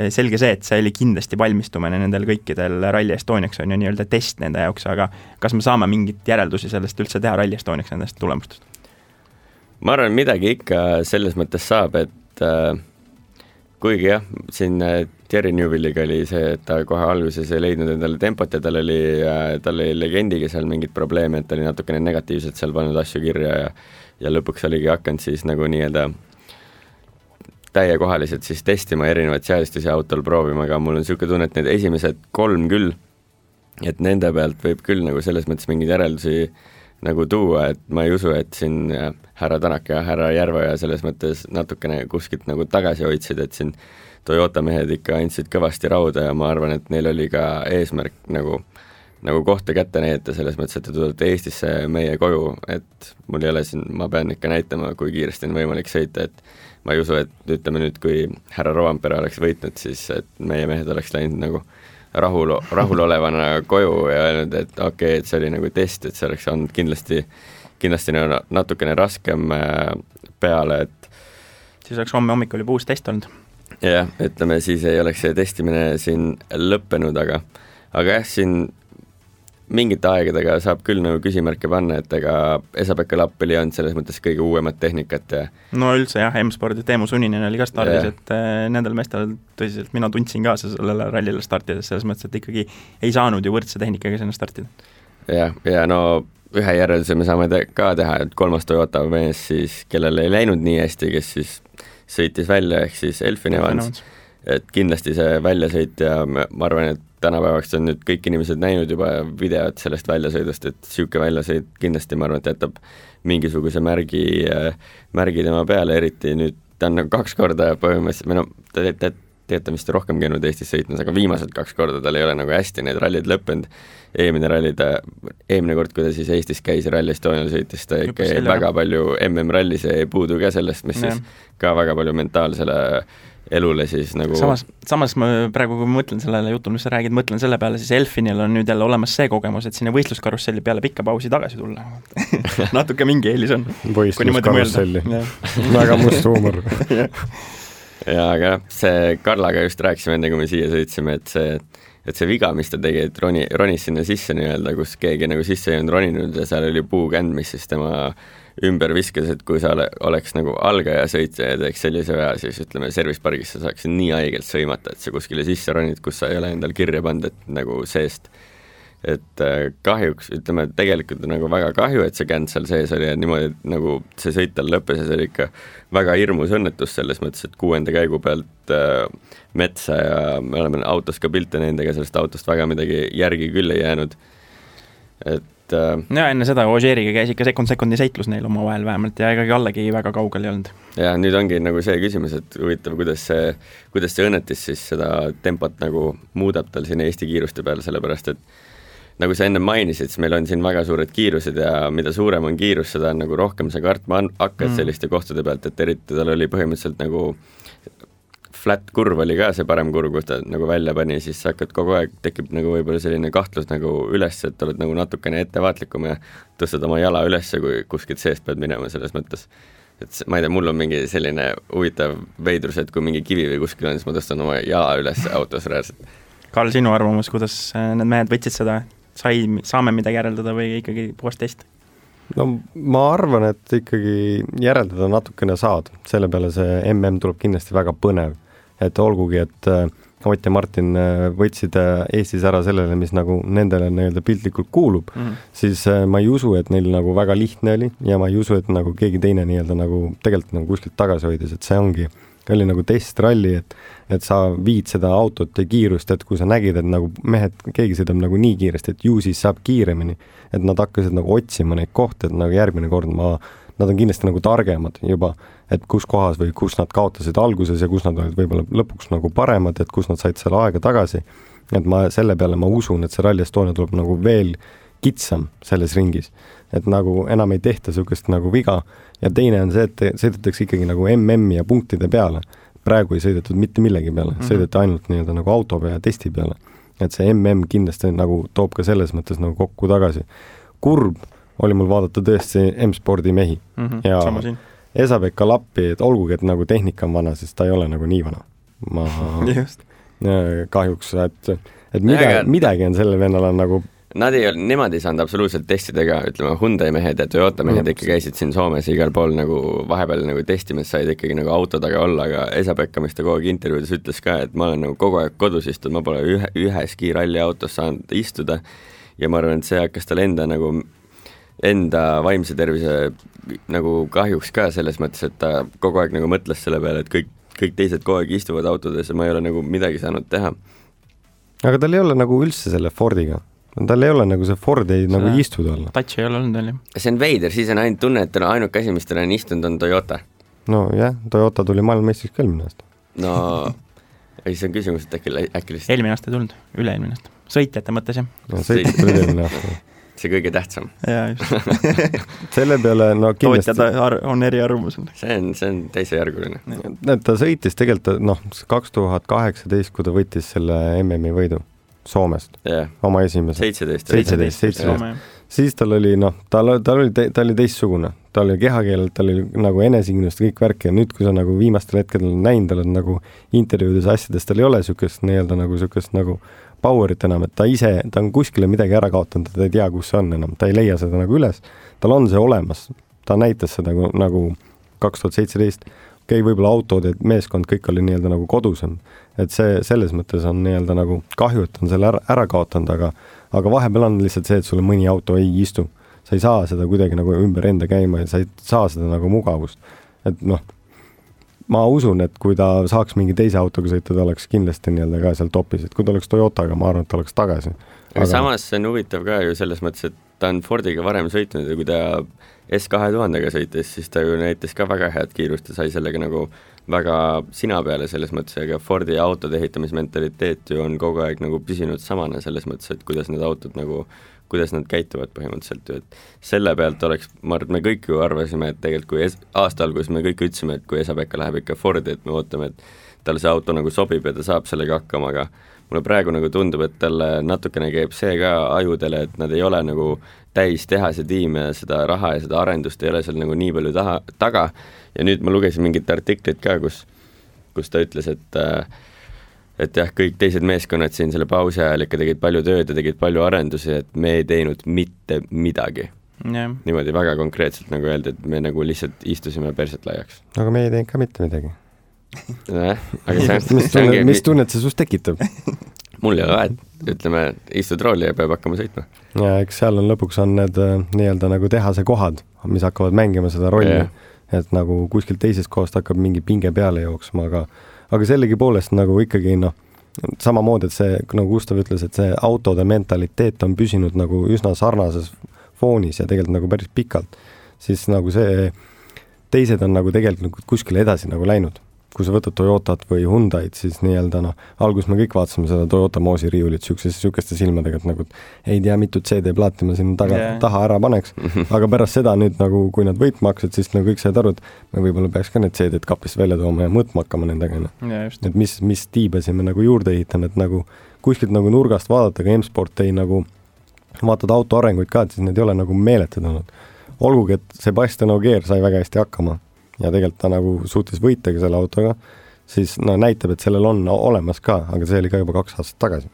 Selge see, et see oli kindlasti valmistumine nendel kõikidel Rally Estoniaks on ju nii-öelda test nende jaoks, aga kas me saame mingit järeldusi sellest üldse teha Rally Estoniaks nendest tulemustest? Ma arvan, midagi ikka selles mõttes saab, et kuigi jah, siin Thierry Neuville'iga oli see, et ta kohe alguses ei leidnud endale tempot ja tal oli legendiga seal mingid probleeme, et ta oli natukene negatiivselt seal pannud asju kirja ja lõpuks oligi hakanud siis nagu nii-öelda täiekohaliselt siis testima erinevaid seadistusi autol proovima, aga mul on niisugune tunne, et need esimesed 3 küll, et nende pealt võib küll nagu selles mõttes mingeid järeldusi nagu tuua, et ma ei usu, et siin härra Tänak ja härra Järve ja selles mõttes natukene kuskilt nagu tagasi hoidsid, et siin Toyota mehed ikka andsid kõvasti rauda ja ma arvan, et neil oli ka eesmärk nagu kohta kätte näidata selles mõttes, et te tulete Eestisse meie koju, et mul ei ole siin, ma pean ikka näitama, kui kiiresti on võimalik sõita, et ma ei usu, et ütleme nüüd, kui härra Rovanpera oleks võitnud, siis et meie mehed oleks läinud nagu rahulolevana koju ja öelnud, et okei, et see oli nagu test, et see oleks olnud kindlasti natukene raskem peale, et siis oleks homme hommikul juba uus test olnud. Jah, ütleme, siis ei oleks see testimine siin lõppenud, aga jah, siin mingite aegadega saab küll nagu küsimärke panna, et ega Esa-Pekka Lapp oli olnud selles mõttes kõige uuemat tehnikat ja no üldse jah, M-spordi Teemu Suninen oli ka stardis, et nendel meestel tõsiselt mina tundsin ka sellele rallile startides selles mõttes, et ikkagi ei saanud ju võrdse tehnikaga sinna startida. Ja no ühe järelduse me saame ka teha, et 3. Toyota mees siis, kellel ei läinud nii hästi, kes siis sõitis välja, ehk siis Elfin Evans, et kindlasti see väljasõit ja ma arvan, et tänapäevaks on nüüd kõik inimesed näinud juba videot sellest väljasõidust, et siuke väljasõit kindlasti ma arvan, et jätab mingisuguse märgi tema peale, eriti nüüd ta on nagu 2 korda põhimõtteliselt, või no teete vist rohkem käinud Eestis sõitmas, aga viimased 2 korda tal ei ole nagu hästi need rallid lõppenud. Eelmine kord, kui ta siis Eestis käis Rally Estonial sõitis, ta ikka väga palju MM-rallis ei puudu ka sellest, mis siis ka väga palju mentaalsele elule siis nagu samas ma praegu, kui ma mõtlen sellele jutul, mis sa räägid, mõtlen selle peale, siis Elfinil on nüüd jälle olemas see kogemus, et sinna võistluskarusselli peale pikka pausi tagasi tulla. Natuke mingi eelis on. Võistluskarusselli. Väga must huumor. Ja aga see Karlaga just rääkisime enne, kui me siia sõitsime, et see viga, mis ta tegi, et ronis sinna sisse nii-öelda, kus keegi nagu sisse ei olnud roninud ja seal oli puukänd, mis siis tema ümber viskas, et kui sa oleks nagu algaja sõitja ja teeks sellise vea, siis ütleme, service pargis sa saaksid nii haigelt sõimata, et sa kuskile sisse ronid, kus sa ei ole endal kirja pannud, et nagu seest. Et kahjuks, ütleme, tegelikult on nagu väga kahju, et see känd seal sees oli ja niimoodi, nagu see sõit tal lõppes ja see oli ikka väga hirmus õnnetus selles mõttes, et 6. käigu pealt metsa ja me oleme autos ka pilte nendega, sellest autost väga midagi järgi küll ei jäänud. Et ja enne seda Ožeeriga käis ikka sekundi seitlus neil oma vahel vähemalt ja ega Kallegi väga kaugel ei olnud. Ja nüüd ongi nagu see küsimus, et huvitav, kuidas see õnnetis siis seda tempot nagu muudab tal siin Eesti kiiruste peal, sellepärast et nagu sa enne mainisid, siis meil on siin väga suured kiirused ja mida suurem on kiirus, seda on nagu rohkem sa kartma hakkad selliste kohtade pealt, et eriti tal oli põhimõtteliselt nagu flat kurv oli ka see parem kurv, kus ta nagu välja pani, siis sa hakkad kogu aeg, tekib nagu võib-olla selline kahtlus nagu üles, et oled nagu natukene ettevaatlikum ja tõstad oma jala üles, kui kuskilt seest pead minema selles mõttes. Et ma ei tea, mul on mingi selline huvitav veidrus, et kui mingi kivi või kuskil on, siis ma tõstan oma jala üles autos reaalselt. Karl, sinu arvamus, kuidas need mehed võtsid seda? Saame midagi järeldada või ikkagi puhast test? No ma arvan, et ikkagi järeldada natukene saad. Selle peale see MM tuleb kindlasti väga põnev. Et olgugi, et Ott ja Martin võtsid Eestis ära sellele, mis nagu nendele nii-öelda piltlikult kuulub, siis ma ei usu, et neil nagu väga lihtne oli ja ma ei usu, et nagu keegi teine nii-öelda nagu tegelikult nagu kuskilt tagasi hoidis, et see oli nagu testralli, et sa viid seda autot ja kiirust, et kui sa nägid, et nagu mehed, keegi sõidab nagu nii kiiresti, et ju siis saab kiiremini, et nad hakkasid nagu otsima neid kohti, et nagu järgmine kord nad on kindlasti nagu targemad juba, et kus kohas või kus nad kaotasid alguses ja kus nad olid võib-olla lõpuks nagu paremad, et kus nad said selle aega tagasi. Et selle peale ma usun, et see Rally Estonia tuleb nagu veel kitsam selles ringis, et nagu enam ei tehta sukest nagu viga ja teine on see, et sõidetakse ikkagi nagu MM-i ja punktide peale. Praegu ei sõidetud mitte millegi peale, sõideti ainult nii-öelda nagu auto peale ja testi peale. Et see MM kindlasti nagu toob ka selles mõttes nagu kokku tagasi. Kurb oli mul vaadata tõesti M-spordi mehi ja Esa-Pekka Lappi, et olgugi, et nagu tehnika on vana, siis ta ei ole nagu nii vana. Ma kahjuks, et midagi on selle vennal on nagu Nemad ei saanud absoluutselt testidega, ütleme Hyundai mehed ja Toyota mehed ikka käisid siin Soomes igal pool nagu vahepeal nagu testimas said ikkagi nagu auto taga olla, aga Esa-Pekka, mis ta kogu aeg intervjuudes ütles ka, et ma olen nagu kogu aeg kodus istunud, ma pole üheski ralli autos saanud istuda ja ma arvan, et see hakkas tal enda vaimse tervise nagu kahjuks ka selles mõttes, et ta kogu aeg nagu mõtles selle peale, et kõik teised kogu aeg istuvad autodes ja ma ei ole nagu midagi saanud teha. Aga tal ei ole nagu üldse selle Fordiga. Tal ei ole nagu see Ford ei nagu istuda olla. Touch ei ole olnud veel. See on veider, siis on ainult tunne, et ainuke asi, mis tal on istunud, on Toyota. No jah, Toyota tuli maailmameistriks ka eelmine aasta. No, see on küsimus, et äkki lihtsalt... Eelmine aasta ei tulnud, üle-eelmine aasta. Sõitjate mõttes, jah. No, sõitjate tuli eelmine aasta. See kõige tähtsam. Jaa, just. Selle peale, no kindlasti... Tootjad on eri arvamusel. See on teise järguline. Ta sõitis tegelikult, 2018, kui ta võttis selle MM-i võidu Soomest, oma esimese 17. Siis tal oli, ta oli teistsugune, ta oli kehakeelelt, ta oli nagu enesikindlust kõik värk ja nüüd, kui sa nagu viimastel hetkedel näinud, tal on nagu intervjuudes asjadest, tal ei ole sükest nagu powerit enam, et ta on kuskile midagi ära kaotanud, ta ei tea, kus see on enam, ta ei leia seda nagu üles, tal on see olemas, ta näitas seda nagu 2017, võib-olla autod ja meeskond kõik oli nii-öelda nagu kodusem, et see selles mõttes on nii-öelda nagu kahju, et on selle ära kaotanud, aga vahepeal on lihtsalt see, et sulle mõni auto ei istu. Sa ei saa seda kuidagi nagu ümber enda käima ja sa ei saa seda nagu mugavust. Et ma usun, et kui ta saaks mingi teise autoga sõita, ta oleks kindlasti nii-öelda ka seal topis, et kui ta oleks Toyotaga, ma arvan, et ta oleks tagasi. Aga samas see on huvitav ka ju selles mõttes, et ta on Fordiga varem sõitnud ja kui ta S2000-ga sõitis, siis ta ju näitas ka väga head kiirust ja sai sellega nagu väga sina peale selles mõttes, aga Fordi autode ehitamismentaliteet ju on kogu aeg nagu püsinud samana selles mõttes, et kuidas need autod nagu, kuidas nad käituvad põhimõtteliselt ju, et selle pealt oleks, ma arvan, me kõik ju arvasime, et tegelikult kui aasta alguses me kõik ütlesime, et kui Esa-Pekka läheb ikka Fordi, et me ootame, et tal see auto nagu sobib ja ta saab sellega hakkama, aga mulle praegu nagu tundub, et talle natukene käib see ka ajudele, et nad ei ole nagu täis tehase tiim ja seda raha ja seda arendust ei ole seal nagu nii palju taga ja nüüd ma lugesin mingit artiklit ka, kus ta ütles, et jah, kõik teised meeskonnad siin selle pausi ajal ikka tegid palju tööd ja tegid palju arendusi, et me ei teinud mitte midagi. Niimoodi väga konkreetselt nagu öeldi, et me nagu lihtsalt istusime perset laiaks. aga me ei teinud ka mitte midagi. Aga mis tunnet see sust tekitab? Mul ei ole vahet, ütleme, istud rooli ja peab hakkama sõitma. Ja eks seal on lõpuks on need nii-öelda nagu tehase kohad, mis hakkavad mängima seda rolli, et nagu kuskilt teisest kohast hakkab mingi pinge peale jooksma, aga sellegi poolest nagu ikkagi samamoodi, et see, nagu Gustav ütles, et see autode mentaliteet on püsinud nagu üsna sarnases foonis ja tegelikult nagu päris pikalt, siis nagu see teised on nagu tegelikult kuskile edasi nagu läinud. Kui sa võtad Toyotat või Hyundai'd, siis nii-öelda alguses me kõik vaatasime seda Toyota Moosi riiulit sükeste silmadega, et nagu ei tea, mitu CD-plaati ma sinna taha ära paneks, aga pärast seda nüüd nagu, kui nad võitma hakkasid, siis nagu kõik said aru, et me võib-olla peaks ka need CD-d kapist välja tooma ja mõõtma hakkama nendega. Et mis tiibasi me nagu juurde ehitame, et nagu kuskilt nagu nurgast vaadata, ka M-Sport ei nagu vaatad auto arenguid ka, et siis need ei ole nagu meeletud olnud. Olgugi, et Sebastian Ogier sai väga hästi hakkama ja tegelikult ta nagu suutis võitagi selle autoga, siis näitab, et sellel on olemas ka, aga see oli ka juba 2 aastat tagasi.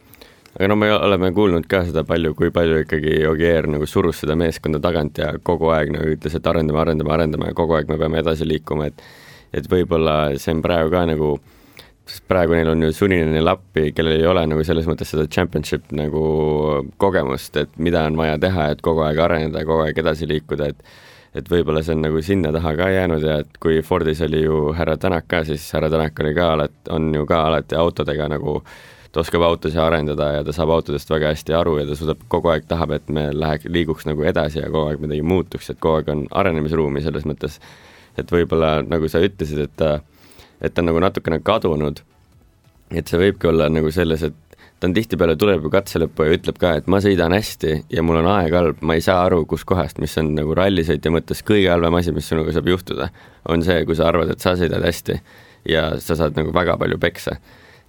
Aga me oleme kuulnud ka seda palju, kui palju ikkagi Ogier nagu surus seda meeskonda tagant ja kogu aeg nagu ütles, et arendame ja kogu aeg me peame edasi liikuma, et võib-olla see on praegu ka nagu, praegu neil on ju sunnine lappi, kellel ei ole nagu selles mõttes seda championship nagu kogemust, et mida on vaja teha, et kogu aeg areneda ja kogu aeg edasi liikuda, et võib-olla see on nagu sinna taha ka jäänud ja et kui Fordis oli ju härra Tänak ka, siis härra Tänak oli ka on ju ka alati autodega nagu, ta oskab autosid arendada ja ta saab autodest väga hästi aru ja ta suudab kogu aeg tahab, et me liiguks nagu edasi ja kogu aeg midagi muutuks, et kogu aeg on arenemisruumi selles mõttes, et võib-olla nagu sa ütlesid, et ta on nagu natukene kadunud, et see võibki olla nagu selles, et ta on tihtipeale tuleb ju katse lõppu ja ütleb ka, et ma sõidan hästi ja mul on aeg halb, ma ei saa aru, kus kohast, mis on nagu rallisõitja mõttes kõige halvem asi, mis sinuga saab juhtuda, on see, kui sa arvad, et sa sõidad hästi ja sa saad nagu väga palju peksa.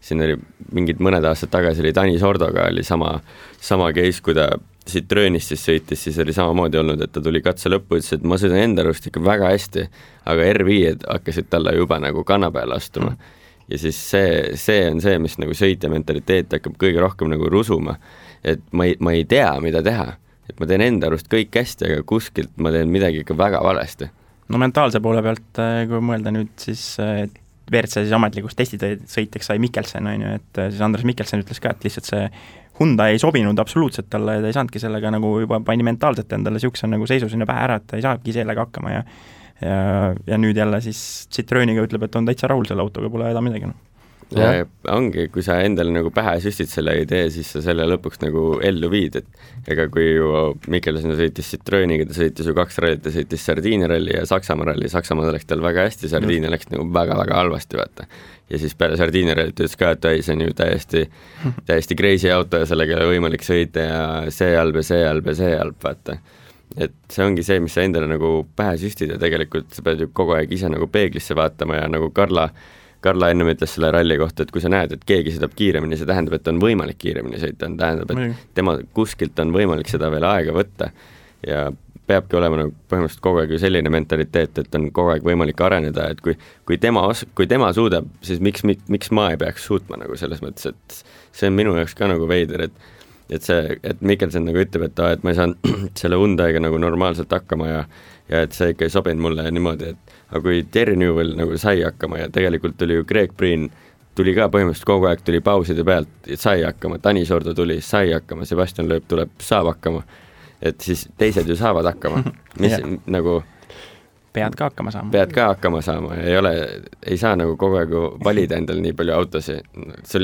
Siin oli mingid mõned aastad tagasi oli Dani Sordoga oli sama case, kui ta Citroenist siis sõitis, siis oli samamoodi olnud, et ta tuli katse lõppu, ütles, et ma sõidan enda arust ikka väga hästi, aga R5-d hakkasid talle juba nagu kanna peale astuma. Ja siis see on see, mis nagu sõitja mentaliteet hakkab kõige rohkem nagu rusuma, et ma ei tea, mida teha, et ma teen enda arust kõik hästi, aga kuskilt ma teen midagi ikka väga valesti. No mentaalse poole pealt, kui mõelda nüüd, siis WRC siis ametlikust testisõitjaks sai Mikkelsen, on ju, et siis Andres Mikkelsen ütles ka, et lihtsalt see Hyundai ei sobinud absoluutselt talle ja ta ei saanudki sellega nagu juba pani mentaalselt endale siukse nagu seisu sinna pähe ära, et ta ei saagi sellega hakkama ja nüüd jälle siis Citroeniga ütleb, et on täitsa rahul selle autoga, pole häda midagi. Ja ongi, kui sa endale nagu pähe süstid selle idee, siis sa selle lõpuks nagu ellu viid, et ega kui ju Mikkelsen sõitis Citroeniga, ta sõitis ju 2 rallit, ta sõitis Sardiinia ralli ja Saksamaa ralli, Saksamaa läks tal väga hästi, Sardiinia läks nagu väga-väga halvasti, vaata. Ja siis peale Sardiinia rallit ütles ka, et see on ju täiesti crazy auto ja sellega ei ole võimalik sõita ja see halb, vaata. Et see ongi see, mis sa endale nagu pähe süstid ja tegelikult sa pead ju kogu aeg ise nagu peeglisse vaatama ja nagu Karla ennem ütles selle ralli kohta, et kui sa näed, et keegi sõidab kiiremini, see tähendab, et on võimalik kiiremini sõita, tähendab, et tema kuskilt on võimalik seda veel aega võtta ja peabki olema nagu põhimõtteliselt kogu aeg ju selline mentaliteet, et on kogu aeg võimalik areneda, et kui tema suudab, siis miks ma ei peaks suutma nagu selles mõttes, et see on minu jaoks ka nagu veider, et Mikkelsen nagu ütleb, et ma ei saanud selle Hyundai'ga nagu normaalselt hakkama ja et see ikka ei sobinud mulle ja niimoodi, et aga kui Terry Newell nagu sai hakkama ja tegelikult tuli ju Greg Breen, tuli ka põhimõtteliselt kogu aeg tuli pauside pealt, sai hakkama, Dani Sordo tuli, sai hakkama, Sebastian Loeb tuleb, saab hakkama, et siis teised ju saavad hakkama, mis nagu pead ka hakkama saama ja ei saa nagu kogu aeg valida endale nii palju autosi,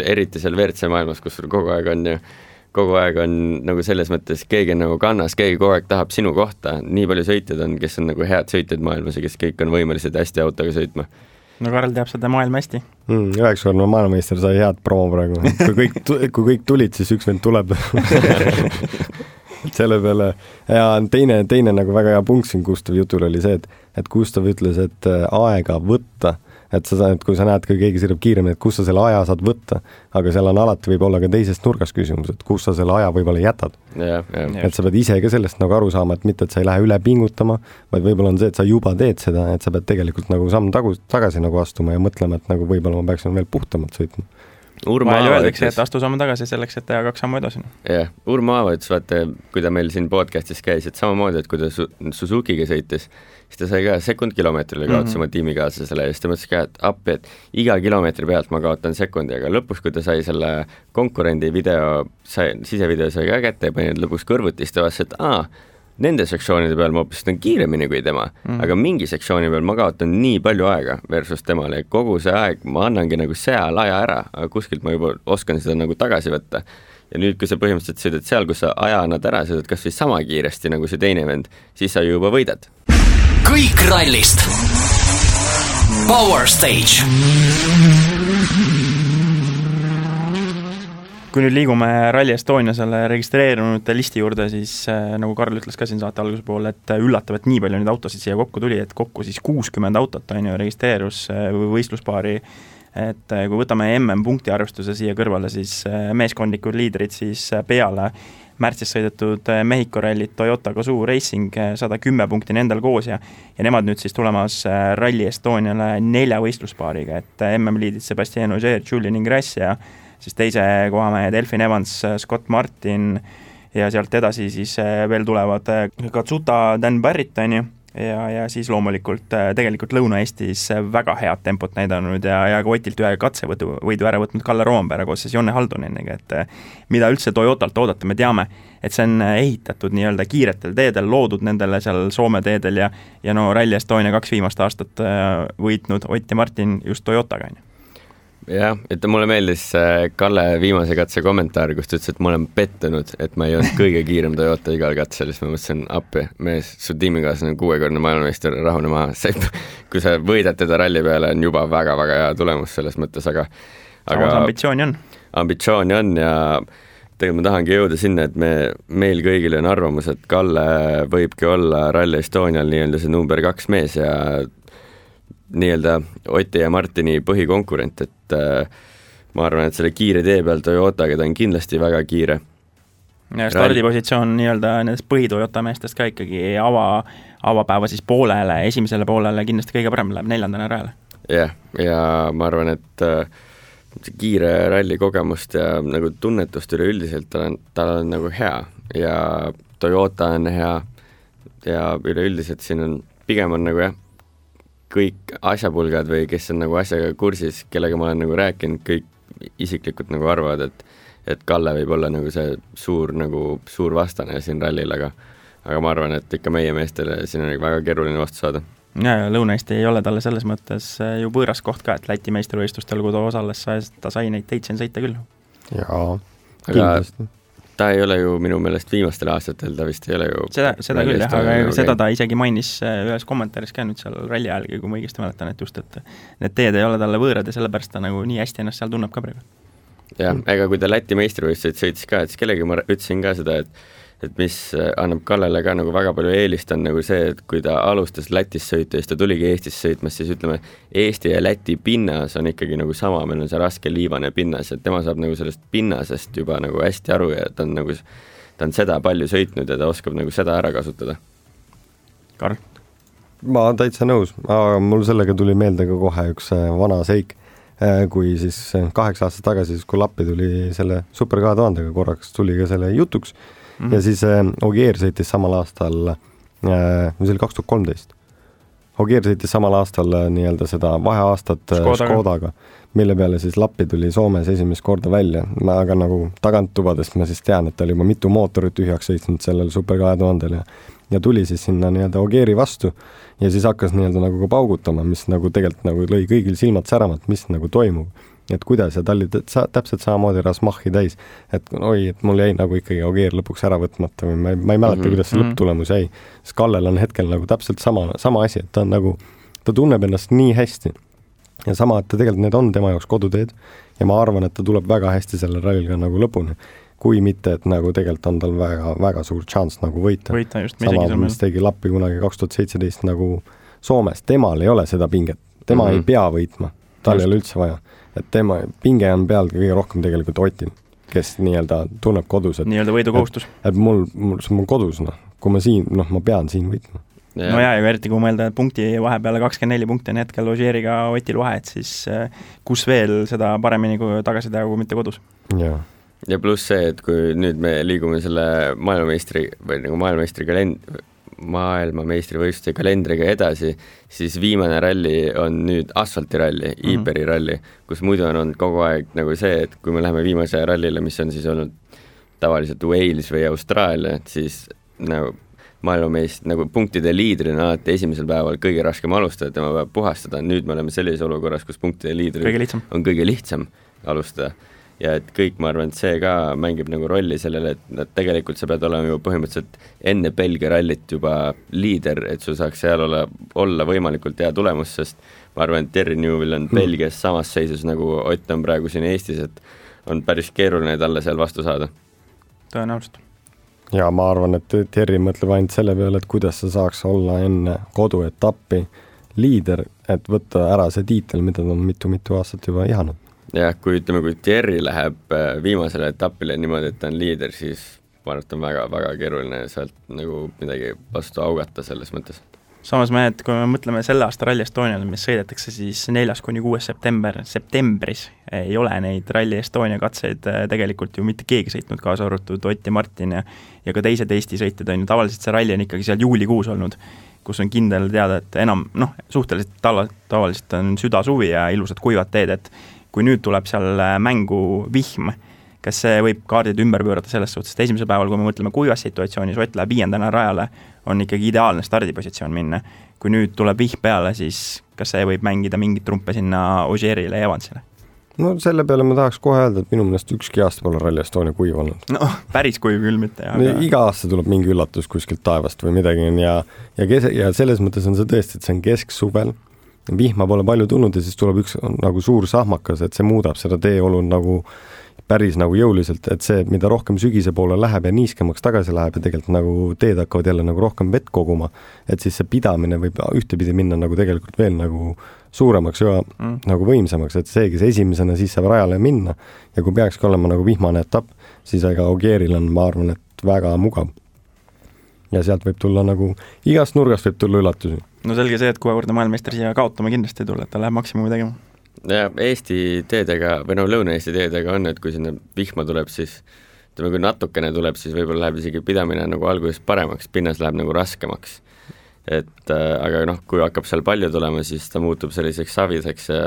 eriti seal WRC maailmas, kus sul kogu aeg on nagu selles mõttes keegi on nagu kannas, keegi kogu aeg tahab sinu kohta, nii palju sõitjad on, kes on nagu head sõitjad maailmas ja kes kõik on võimelised hästi autoga sõitma. No Karl teab seda maailma hästi. 9-korne maailmameister sai head promo praegu. Kui kõik tulid, siis üks vend tuleb. Selle peale ja teine nagu väga hea punkt siin Gustav jutul oli see, et Gustav ütles, et aega võtta, et kui sa näed, kui keegi sõidab kiiremini, et kus sa selle aja saad võtta, aga seal on alati võib olla ka teisest nurgas küsimus, et kus sa selle aja võib-olla jätad. Et sa pead ise ka sellest nagu aru saama, et mitte, et sa ei lähe üle pingutama, vaid võib-olla on see, et sa juba teed seda, et sa pead tegelikult nagu samm tagasi nagu astuma ja mõtlema, et nagu võib-olla ma peaksin veel puhtamalt sõitma. vahel öeldakse, et astu samme tagasi selleks, et teha 2 sammu edasi. Jah, Urmo Aava ütles, vaata, kui ta meil siin podcastis käis, et samamoodi, et kui ta Suzukiga sõitis, siis ta sai ka sekund-kilomeetrile kaotas oma tiimikaaslasele ja siis ta mõtles ka, et appi, et iga kilomeetri pealt ma kaotan sekundi, aga lõpus, kui ta sai selle konkurendi sisevideo sai ka kätte ja pani lõpuks kõrvutis, ta vastas, et nende sektsioonide peal ma hoopis on kiiremini kui tema, aga mingi sektsiooni peal ma kaotan nii palju aega versus temale, kogu see aeg ma annangi nagu seal aja ära, aga kuskilt ma juba oskan seda nagu tagasi võtta. Ja nüüd, kui sa põhimõtteliselt sõidad seal, kus sa aja annad ära, sõidad kas või sama kiiresti nagu see teine vend, siis sa juba võidad. Kõik rallist. Power Stage. Kui nüüd liigume Rally Estonia selle registreerunud listi juurde, siis nagu Karl ütles ka siin saate alguse poole, et üllatav, et nii palju nüüd autosid siia kokku tuli, et kokku siis 60 autot on ju registreerus võistluspaari, et kui võtame MM-punkti arvestuse siia kõrvale, siis meeskondlikud liidrid siis peale märtsis sõidetud Mehhiko rallit Toyota Gazoo Racing 110 punkti nendel koos ja nemad nüüd siis tulemas Rally Estoniale 4 võistluspaariga, et MM-liidid Sebastian Ogier, Julian Ingrassi ja siis teise kohamehed Elfin Evans, Scott Martin ja sealt edasi siis veel tulevad Katsuta, Dan Barritoni ja siis loomulikult tegelikult Lõuna-Eestis väga head tempot näidanud ja ka Otilt ühe katsevõidu ära võtnud Kalle Roomberg koos siis Jonne Halduneniga, et mida üldse Toyotalt oodata, me teame, et see on ehitatud nii-öelda kiiretel teedel, loodud nendele seal Soome teedel ja no Rally Estonia 2 viimast aastat võitnud Ott ja Martin just Toyotaga. Jah, et mulle meeldis Kalle viimase katse kommentaar, kus ta ütles, et ma olen pettunud, et ma ei olnud kõige kiirem Toyota igal katsel, siis ma mõtlesin, appi, mees, su tiimikaaslane on 6-kordne maailmameister, rahune maha, kui sa võidad teda ralli peale, on juba väga-väga hea tulemus selles mõttes, aga ambitsiooni on. Ambitsiooni on ja tegelikult ma tahangi jõuda sinna, et meil kõigil on arvamus, et Kalle võibki olla Rally Estonial nii-öelda see number 2 mees ja nii-öelda Oti ja Martini põhikonkurent, et ma arvan, et selle kiire tee peal Toyotaga ta on kindlasti väga kiire. Ja stardipositsioon nii-öelda nendest põhi-Toyota meestest ka ikkagi avapäeva siis poolele, esimesele poolele kindlasti kõige parem läheb 4. rajale. Jah, ja ma arvan, et kiire ralli kogemust ja nagu tunnetust üleüldiselt tal on nagu hea ja Toyota on hea ja üleüldiselt siin on pigem on nagu kõik asjapulgad või kes on nagu asjaga kursis, kellega ma olen nagu rääkinud, kõik isiklikult nagu arvavad, et Kalle võib olla nagu see suur vastane siin rallil, aga ma arvan, et ikka meie meestele siin on väga keeruline vastu saada. Ja Lõuna-Eesti ei ole talle selles mõttes ju võõras koht ka, et Läti meistrivõistlustel, kui ta osales, ta sai neid teitsen sõita küll. Jaa, kindlasti. Ta ei ole ju minu meelest viimastel aastatel, ta vist ei ole ju seda küll jah, aga seda ta isegi mainis ühes kommentaaris ka nüüd seal ralli ajalgi, kui ma õigesti mäletan, et just, et need teed ei ole talle võõrad ja sellepärast ta nagu nii hästi ennast seal tunneb ka praegu. Jah, ega kui ta Läti meistrivõistluseid sõitis ka, et siis kellegi ma ütlesin ka seda, et mis annab Kallele ka nagu väga palju eelist on nagu see, et kui ta alustas Lätis sõita ja siis ta tuligi Eestis sõitmas, siis ütleme, Eesti ja Läti pinnas on ikkagi nagu sama, meil on see raske liivane pinnas, et tema saab nagu sellest pinnasest juba nagu hästi aru ja ta on seda palju sõitnud ja ta oskab nagu seda ära kasutada. Karl? Ma täitsa nõus, aga mul sellega tuli meelde ka kohe üks vana seik, kui siis 8 aastat tagasi, kui Lappi tuli selle Super 2000-ga korraks, tuli ka selle jutuks ja siis Ogier sõitis samal aastal, see oli 2013, Ogier sõitis samal aastal nii-öelda seda vaheaastat Škodaga, mille peale siis Lappi tuli Soomes esimest korda välja, aga nagu taganttubadest ma siis tean, et ta oli juba mitu mootorit tühjaks sõitnud sellel Super 2000-l ja tuli siis sinna nii-öelda Ogieri vastu ja siis hakkas nii-öelda nagu ka paugutama, mis nagu tegelikult nagu lõi kõigil silmad säramat, mis nagu toimub. Et kuidas ja ta oli täpselt samamoodi Rasmachi täis, et oi, et mul jäi nagu ikkagi Ogier lõpuks ära võtmata või ma ei mäleta, kuidas see lõpptulemus jäi. Sest Kallel on hetkel nagu täpselt sama asi, et ta on nagu, ta tunneb ennast nii hästi ja sama, et tegelikult need on tema jaoks koduteed ja ma arvan, et ta tuleb väga hästi selle rallil ka nagu lõpuni, kui mitte, et nagu tegelikult on tal väga, väga suur chance nagu võita just, sama, mis tegi Lappi kunagi 2017 nagu Soomes, temal ei ole seda pinget, tema ei pea võitma, tal ei ole üldse vaja. Et tema pinge on peal kõige rohkem tegelikult Otil, kes nii-öelda tunneb kodus. Nii-öelda võidukohustus. Et mul kodus, kui ma siin, ma pean siin võitma. no ja eriti kui mõelda punkti vahepeale 24 punkti on hetkel Ožeeriga Otil vahe, et siis kus veel seda paremini kui tagasi teha, kui mitte kodus. Ja pluss see, et kui nüüd me liigume selle maailmameistri või nagu maailmameistrivõistluse kalendriga edasi, siis viimane ralli on nüüd asfaltiralli, Iberi ralli, kus muidu on olnud kogu aeg nagu see, et kui me läheme viimase rallile, mis on siis olnud tavaliselt Wales või Austraalia, siis nagu maailmameist nagu punktide liidrina alati esimesel päeval kõige raskem alustada, tema peab puhastada, nüüd me oleme sellises olukorras, kus punktide liidri on kõige lihtsam alustada. Ja et kõik, ma arvan, et see ka mängib nagu rolli sellele, et tegelikult sa pead olema juba põhimõtteliselt enne Belgia rallit juba liider, et sul saaks seal olla võimalikult hea tulemus, sest ma arvan, et Terry Newell on Belgias samas seisus nagu Ott on praegu siin Eestis, et on päris keeruline talle seal vastu saada. Tõenäoliselt. Ja ma arvan, et Terry mõtleb ainult selle peale, et kuidas sa saaks olla enne koduetappi liider, et võtta ära see tiitel, mida ta on mitu aastat juba ihanud. Ja kui Terry läheb viimasele etapile niimoodi, et ta on liider, siis ma arvan, et on väga keeruline sealt nagu midagi vastu augata selles mõttes. Samas kui me mõtleme selle aasta Rally Estonial, mis sõidetakse siis 4.–6. septembris, ei ole neid Rally Estonia katseid tegelikult ju mitte keegi sõitnud, kaasa arvatud Ott ja Martin ja ka teised Eesti sõitjad on ju, tavaliselt see ralli on ikkagi seal juulikuus olnud, kus on kindel teada, et enam, suhteliselt tavaliselt on süda-suvi ja ilusad kuivad teed, et kui nüüd tuleb seal mängu vihm, kas see võib kaardid ümber pöörata selles suhtes, et esimesel päeval, kui me mõtleme kuivas situatsioonis, Ott läheb 5. rajale, on ikkagi ideaalne stardipositsioon minna. Kui nüüd tuleb vihm peale, siis kas see võib mängida mingit trumpe sinna Ožeerile ja Evansile? No selle peale ma tahaks kohe öelda, et minu mõnest ükski aasta pole Rally Estonia kuiv olnud. No, päris kuiv küll mitte. Aga... Iga aasta tuleb mingi üllatus kuskilt taevast või midagi ja selles mõttes on see tõesti, et see on kesksuvel, vihma pole palju tulnud ja siis tuleb üks nagu suur sahmakas, et see muudab seda teeolu nagu päris nagu jõuliselt, et see, mida rohkem sügise poole läheb ja niiskemaks tagasi läheb ja tegelikult nagu teed hakkavad jälle nagu rohkem vett koguma, et siis see pidamine võib ühtepidi minna nagu tegelikult veel nagu suuremaks ja nagu võimsamaks, et see, kes esimesena siis saab rajale minna ja kui peakski olema nagu vihmane etapp, siis ega Ogieril on, ma arvan, et väga mugav. Ja sealt võib tulla nagu, igast nurgast võib tulla üllatusi. No selge see, et kuuekordne maailmameister siia kaotama kindlasti ei tule, et ta läheb maksimumi tegema. Ja Eesti teedega, või Lõuna-Eesti teedega on, et kui sinna vihma tuleb, siis kui natukene tuleb, siis võib-olla läheb isegi pidamine nagu alguses paremaks, pinnas läheb nagu raskemaks. Aga kui hakkab seal palju tulema, siis ta muutub selliseks savideks ja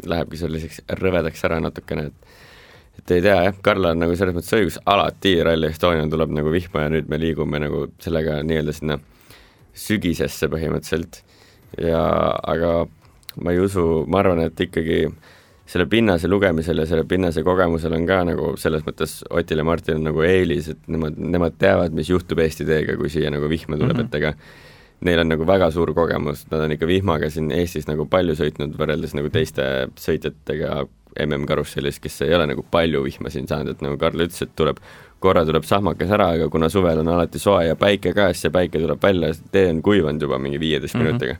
lähebki selliseks rõvedaks ära natukene, et ei tea, Karla on nagu selles mõttes õigus, alati Rally Estonia tuleb nagu vihma ja nüüd me liigume nagu sellega nii-öelda sinna sügisesse põhimõtteliselt aga ma ei usu, ma arvan, et ikkagi selle pinnase lugemisel ja selle pinnase kogemusel on ka nagu selles mõttes Otil ja Martin on nagu eelis, et nemad teavad, mis juhtub Eesti teega, kui siia nagu vihma tuleb, et ega neil on nagu väga suur kogemus, nad on ikka vihmaga siin Eestis nagu palju sõitnud võrreldes nagu teiste sõitjatega MM-karussellis, kes ei ole nagu palju vihma siin saanud, et nagu Karl ütles, et korra tuleb sahmakas ära, aga kuna suvel on alati soe ja päike käes, ja päike tuleb välja, tee on kuivanud juba mingi 15 minutiga.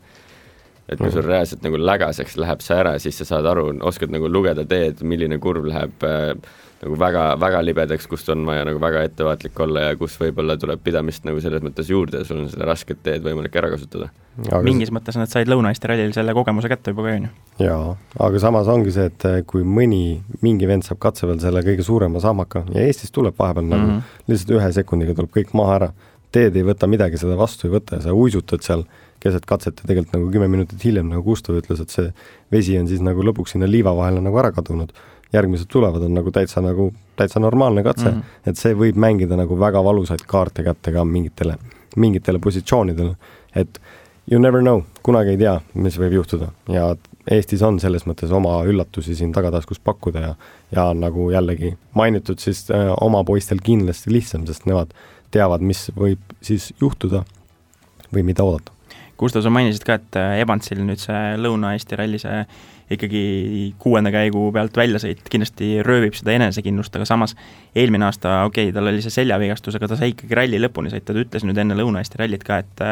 Et kui sul reaalselt nagu lägaseks läheb see ära, siis sa saad aru, oskad nagu lugeda teed, milline kurv läheb nagu väga libedaks, kust on vaja nagu väga ettevaatlik olla ja kus võib-olla tuleb pidamist nagu selles mõttes juurde ja sul on selle rasket teed võimalik ära kasutada. Mingis mõttes nad said Lõuna-Eesti rallil selle kogemuse kätte juba ka, Jaa, aga samas ongi see, et kui mingi vend saab katseval selle kõige suurema sahmaka ja Eestis tuleb vahepeal nagu lihtsalt 1 sekundiga tuleb kõik maha ära, teed ei võta midagi, seda vastu ei võta ja sa uisutad seal keset katset ja tegelikult nagu 10 minutit hiljem nagu Gustav ütles, et see vesi on siis nagu lõpuks sinna liiva vahele nagu ära kadunud. Järgmised tulevad on nagu täitsa normaalne katse, et see võib mängida nagu väga valusaid kaarte kätte ka mingitele positsioonidele, et you never know, kunagi ei tea, mis võib juhtuda ja Eestis on selles mõttes oma üllatusi siin tagataskus pakkuda ja nagu jällegi mainitud siis oma poistel kindlasti lihtsam, sest nemad teavad, mis võib siis juhtuda või mida oodata. Gustav, sa mainisid ka, et Evansil nüüd see Lõuna-Eesti ralli see ikkagi 6. käigu pealt väljasõit kindlasti röövib seda enesekindlust, aga samas eelmine aasta, tal oli see seljavigastus, aga ta sai ikkagi ralli lõpuni sõita, ta ütles nüüd enne Lõuna-Eesti rallit ka, et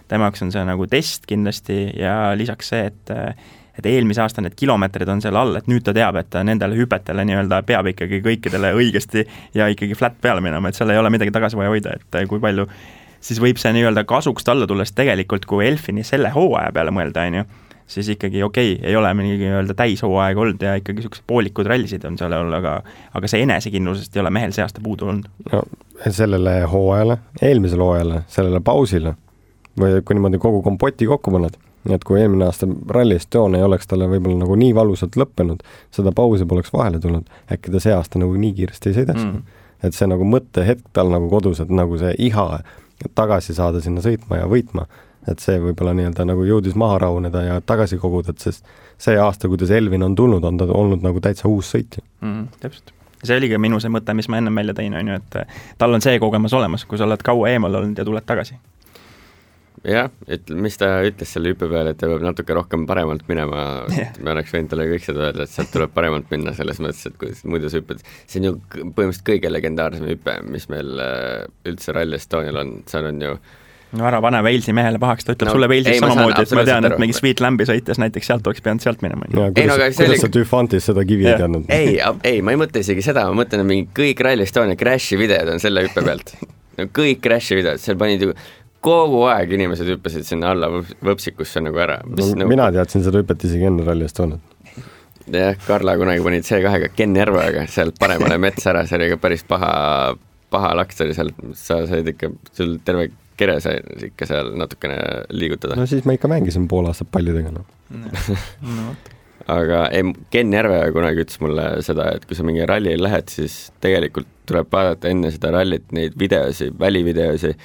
tema jaoks on see nagu test kindlasti ja lisaks see, et eelmise aasta need kilomeetrid on seal all, et nüüd ta teab, et nendele hüpetele nii-öelda peab ikkagi kõikidele õigesti ja ikkagi flat peale minema, et seal ei ole midagi tagasi vaja hoida, et kui palju siis võib see nii-öelda kasuks talle tulles tegelikult, kui Elfini selle hooaja peale mõelda, on ju, siis ikkagi ei ole mingi nii-öelda täishooaeg olnud ja ikkagi niisugused poolikud rallisid on seal olnud, aga see enesekindlusest ei ole mehel see aasta puudu olnud. No, sellele hooajale, eelmisele hooajale, sellele pausile või kui niimoodi kogu kompoti kokku paned, nii et kui eelmine aasta Rally Estonia ei oleks talle võib-olla nagu nii valusalt lõppenud, seda pausi poleks vahele tulnud, äkki ta see aasta nagu nii kiiresti ei sõidaks. Et see nagu mõttehetk tal nagu kodus, et nagu see iha tagasi saada sinna sõitma ja võitma, et see võib-olla nii-öelda nagu jõudis maha rahuneda ja tagasi koguda, et sest see aasta, kuidas Elvin on tulnud, on ta olnud nagu täitsa uus sõitja. Täpselt. See oli ka minu see mõte, mis ma enne välja tõin, on ju, et tal on see kogemus olemas, kui sa oled kaua eemal olnud ja tuled tagasi. Jah, mis ta ütles selle hüppe peale, et ta peab natuke rohkem paremalt minema, me oleks võinud talle kõik seda öelda, et sealt tuleb paremalt minna selles mõttes, et kuidas muidu sa hüpped, see on ju põhimõtteliselt kõige legendaarsem hüppe, mis meil üldse Rally Estonial on, seal on ju no ära pane Walesi mehele pahaks, ta ütleb sulle Walesis samamoodi, et ma tean, et mingi Sweet Lambi sõites näiteks sealt oleks pidanud sealt minema. Kuidas sa Tüfantis seda kivi ei teadnud? Ei, ma ei mõtle isegi seda, ma mõtlen, et mingi kõik Rally Estonia crashi videod on selle hüppe pealt. Kõik crashi videod, seal panid ju kogu aeg inimesed hüppasid sinna alla võpsikusse nagu ära. Mina teadsin seda hüpet isegi enne Rally Estoniat. Jah, Karla kunagi panid C2-ga Ken Järveaga sealt paremale mets ära, see oli ka päris paha laks oli seal, sa said ikka, sul terve kere sai ikka seal natukene liigutada. No siis ma ikka mängisin pool aastat pallidega. Aga Ken Järveaga kunagi ütles mulle seda, et kui sa mingi ralli lähed, siis tegelikult tuleb vaadata enne seda rallit neid videosi, välivideosi,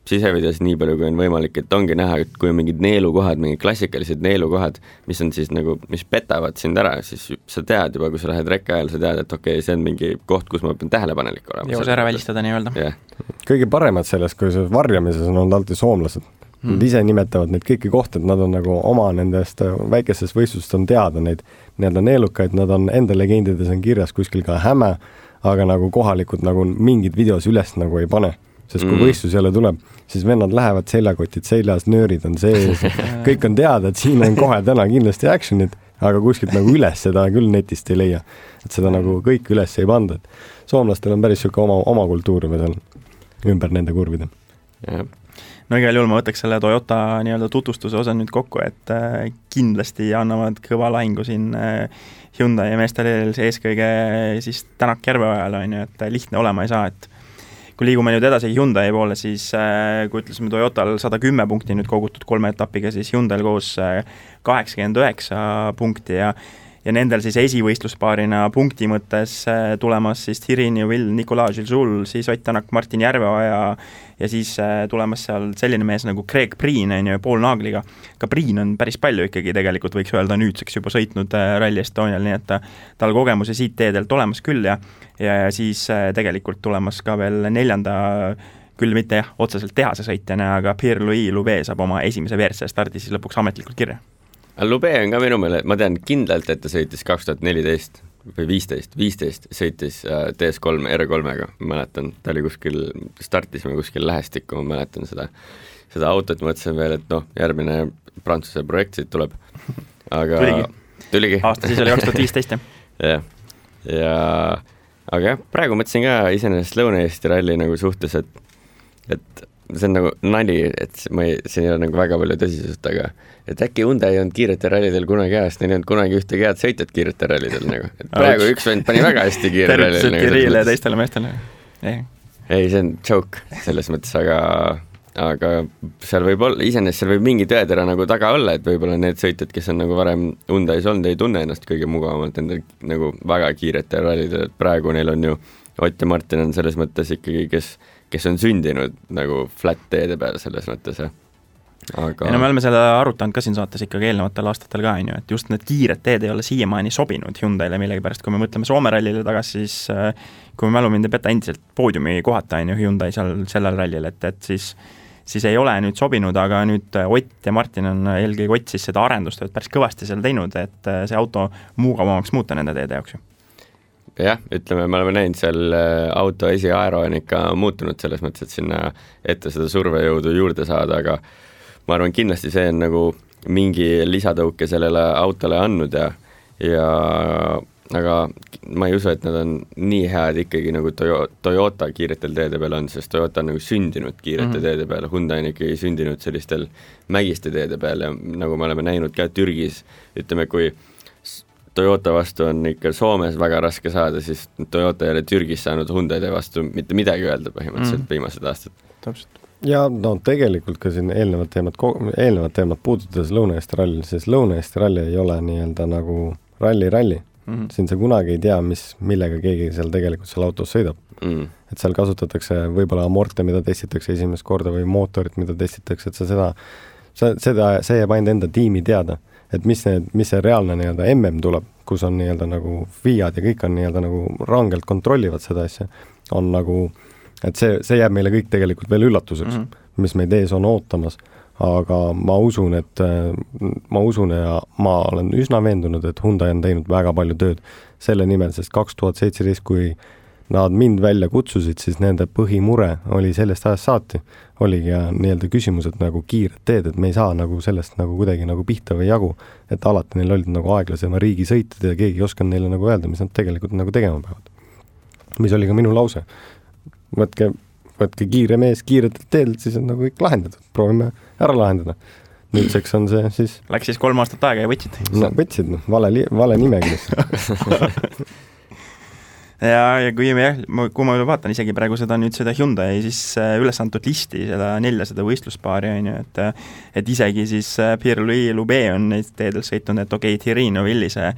sisevideos nii palju, kui on võimalik, et ongi näha, et kui on mingid neelukohad, mingid klassikalised neelukohad, mis on siis nagu, mis petavad sind ära, siis sa tead juba, kui sa lähed rekka ajal, sa tead, et okei, see on mingi koht, kus ma pean tähelepanelik olema. Jõus ära välistada nii-öelda. Yeah. Kõige paremad selles, kui see varjamises on olnud alati soomlased. Nad ise nimetavad neid kõiki kohti, et nad on nagu oma nendest väikesest võistlust on teada neid nii-öelda neelukaid, nad on enda legendides on kirjas kuskil ka Häme, aga nagu kohalikud nagu mingid videos üles nagu ei pane. Sest kui võistlus jälle tuleb, siis vennad lähevad seljakotid seljas, nöörid on sees, kõik on teada, et siin on kohe täna kindlasti actionid, aga kuskilt nagu üles seda küll netist ei leia. Et seda nagu kõik üles ei panda. Soomlastel on päris siuke oma kultuur või seal ümber nende kurvide. No igal juhul ma võtaks selle Toyota nii-öelda tutvustuse osa nüüd kokku, et kindlasti annavad kõva lahingu siin Hyundai ja meestele eeskõige siis Tänak Järveojal on ju, et lihtne olema ei saa, et kui liigume nüüd edasi Hyundai poole, siis kui ütlesime Toyotal 110 punkti nüüd kogutud 3 etapiga, siis Hyundai koos 89 punkti ja nendel siis esivõistluspaarina punkti mõttes tulemas siis Thirin ja Will Nicolas Gilles, siis Ott Tänak, Martin Järveoja ja siis tulemas seal selline mees nagu Greg Priin on ju Paul Naagliga. Ka Priin on päris palju ikkagi tegelikult võiks öelda nüüdseks juba sõitnud Rally Estonial, nii et tal kogemuse siit teedelt olemas küll ja siis tegelikult tulemas ka veel 4. küll mitte otseselt tehase sõitjana, aga Pierre-Louis Loubet saab oma esimese WRC stardi siis lõpuks ametlikult kirja. Loubet on ka minu meele, ma tean kindlalt, et ta sõitis 2014 või 15 sõitis DS3 R3-ga, ma mäletan, ta oli kuskil, startisime kuskil lähestikku, ma mäletan seda autot, mõtlesin veel, et järgmine Prantsuse projekt siit tuleb, aga tuligi. Aasta siis oli 2015, jah. Aga jah, praegu mõtlesin ka iseenesest Lõuna-Eesti ralli nagu suhtes, et see on nagu nali, et siin ei ole nagu väga palju tõsisust, aga et äkki Hyundai ei olnud kiirete rallidel kunagi ajast, neil ei olnud kunagi ühtegi head sõitjat kiirete rallidel nagu. Et praegu üks vend pani väga hästi kiire rallidel. Tervitused Kirille ja teistele meestele. Ei, see on joke selles mõttes, aga seal võib olla, iseenesest seal võib mingi tõetera nagu taga olla, et võib-olla need sõitjad, kes on nagu varem Hyundai's olnud, ei tunne ennast kõige mugavamalt endal nagu väga kiirete rallidel, et praegu neil on ju Ott ja Martin on selles mõttes ikkagi, kes on sündinud nagu flat teede peal selles mõttes, aga... Ja me oleme selle arutanud ka siin saates ikkagi eelnevatel aastatel ka, et just need kiired teed ei ole siiamaani sobinud Hyundaile millegi pärast, kui me mõtleme Soome rallile tagasi, siis kui me mälu mind ei peta endiselt poodiumi kohata Hyundai seal sellel rallil, et siis ei ole nüüd sobinud, aga nüüd Ott ja Martin on eelkõige Ott siis seda arendustööd päris kõvasti seal teinud, et see auto mugavamaks muuta nende teede jaoks ju. Jah, ütleme, me oleme näinud seal auto esiaero on ikka muutunud selles mõttes, et sinna ette seda survejõudu juurde saada, aga ma arvan, kindlasti see on nagu mingi lisadõuke sellele autole andnud ja aga ma ei usu, et nad on nii head ikkagi nagu Toyota kiiretel teede peal on, sest Toyota on nagu sündinud kiirete teede peal, Hyundai on ikkagi sündinud sellistel mägiste teede peal ja nagu me oleme näinud ka Türgis, ütleme, kui Toyota vastu on ikka Soomes väga raske saada, siis Toyota ei ole Türgis saanud Hyundaide vastu mitte midagi öelda põhimõtteliselt viimased aastad. Täpselt. Ja no tegelikult ka siin eelnevad teemad puudutades Lõuna-Eesti ralli, sest Lõuna-Eesti ralli ei ole nii-öelda nagu ralli. Siin sa kunagi ei tea, millega keegi seal tegelikult seal autos sõidab. Et seal kasutatakse võib-olla amorte, mida testitakse esimest korda või mootorit, mida testitakse, et see jääb ainult enda tiimi teada, et mis see reaalne nii-öelda tuleb, kus on nii-öelda nagu FIAD ja kõik on nii-öelda nagu rangelt kontrollivad seda asja, on nagu, et see jääb meile kõik tegelikult veel üllatuseks, mis meid ees on ootamas. Aga ma usun ja ma olen üsna veendunud, et Hyundai on teinud väga palju tööd selle nimel, sest 2017, kui nad mind välja kutsusid, siis nende põhimure oli sellest ajast saati, oligi nii-öelda küsimused nagu kiired teed, et me ei saa nagu sellest nagu kuidagi nagu pihta või jagu, et alati neil olid nagu aeglasema riigi sõitid ja keegi ei osanud neile nagu öelda, mis nad tegelikult nagu tegema peavad. Mis oli ka minu lause. Võtke kiire mees kiiretelt teedelt, siis on nagu kõik lahendatud. Proovime ära lahendada. Nüüdseks on see siis... Läks siis 3 aastat aega ja võtsid? No võtsid, vale nimekirjas. ja kui ma vaatan isegi praegu seda Hyundai siis üles antud listi, seda 400 võistluspaari on ju, et isegi siis Pierre-Louis Loubet on neid teedel sõitnud, et okei, Thierry Neuville see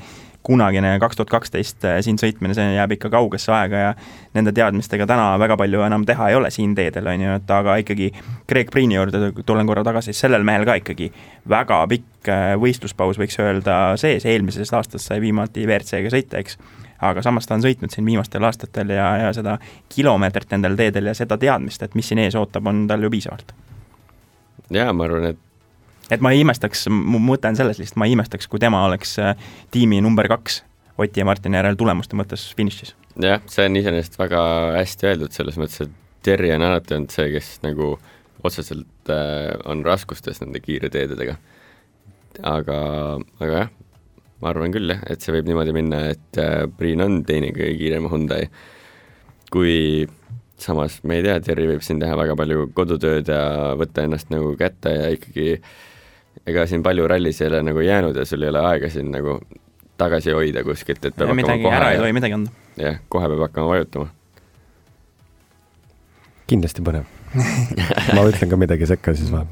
kunagine 2012 siin sõitmine, see jääb ikka kaugesse aega ja nende teadmistega täna väga palju enam teha ei ole siin teedel, on ju, et aga ikkagi Greg Priini juurde tulen korra tagasi, sellel mehel ka ikkagi väga pikk võistluspaus võiks öelda sees, eelmisest aastast sai viimati WRC-ga sõita, eks, aga samas ta on sõitnud siin viimastel aastatel ja seda kilomeetrit nendel teedel ja seda teadmist, et mis siin ees ootab, on tal ju piisavalt. Jaa, ma arvan, et ma ei imestaks, mu mõte on selles lihtsalt, ma ei imestaks, kui tema oleks tiimi number 2 Oti ja Martini järel tulemuste mõttes finišis. Jah, see on iseenesest väga hästi öeldud selles mõttes, et Terri on alati olnud see, kes nagu otseselt on raskustes nende kiire teededega. Aga jah, ma arvan küll, et see võib niimoodi minna, et Priin on teine kõige kiirema Hyundai. Kui samas, me ei tea, Terri võib siin teha väga palju kodutööd ja võtta ennast nagu kätte ja ikkagi ega siin palju rallis ei ole nagu jäänud ja sul ei ole aega siin nagu tagasi hoida kuskilt, et peab midagi hakkama ära ei tohi midagi anda. Jah, kohe peab hakkama vajutama. Kindlasti põnev. Ma ütlen ka midagi sekka siis või.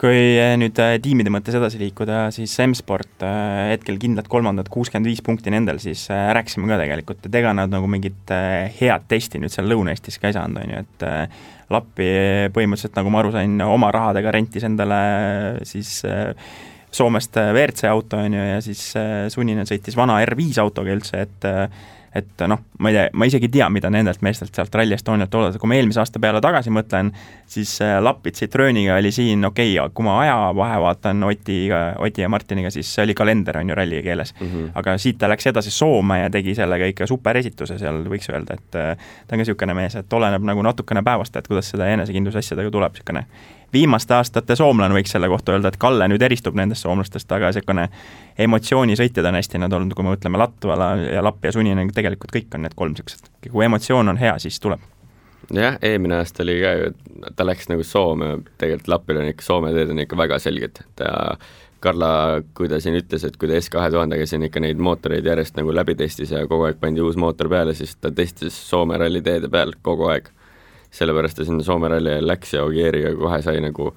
Kui nüüd tiimide mõttes edasi liikuda, siis M-Sport hetkel kindlad 3. 65 punkti nendel, siis rääkisime ka tegelikult, et ega nad nagu mingit head testi nüüd seal Lõuna-Eestis ka ei saanud, on ju, et Lappi põhimõtteliselt, nagu ma aru sain, oma rahadega rentis endale siis Soomest WRC auto, on ju, ja siis Sunninen sõitis vana R5 autoga üldse, et noh, ma isegi ei tea, mida nendelt meestelt sealt Rally Estonialt oodata. Kui ma eelmise aasta peale tagasi mõtlen, siis Lapid Citrooniga oli siin okei, kui ma aja vahe vaatan Oti ja Martiniga, siis see oli kalender, on ju, ralli keeles. Aga siit ta läks edasi Soome ja tegi sellega ikka super esituse seal, võiks öelda, et ta on ka niisugune mees, et oleneb nagu natukene päevast, et kuidas seda enesekindlus asjadega tuleb niisugune viimaste aastate soomlane, võiks selle kohta öelda, et Kalle nüüd eristub nendest soomlastest, aga niisugune emotsioonisõitjad on hästi nad olnud, kui me mõtleme Latvala ja Lappi ja Sunninen, tegelikult kõik on need 3 niisugused. Kui emotsioon on hea, siis tuleb. Jah, eelmine aasta oli ka ju, ta läks nagu Soome, tegelikult Lappil on ikka Soome teed on ikka väga selged. Karla, kui ta siin ütles, et kui ta S2000-ga siin ikka neid mootoreid järjest nagu läbi testis ja kogu aeg pandi uus mootor peale, siis ta testis Soome ralli teede peal kogu aeg. Sellepärast ta sinna Soome ralli läks ja Ogieriga kohe sai nagu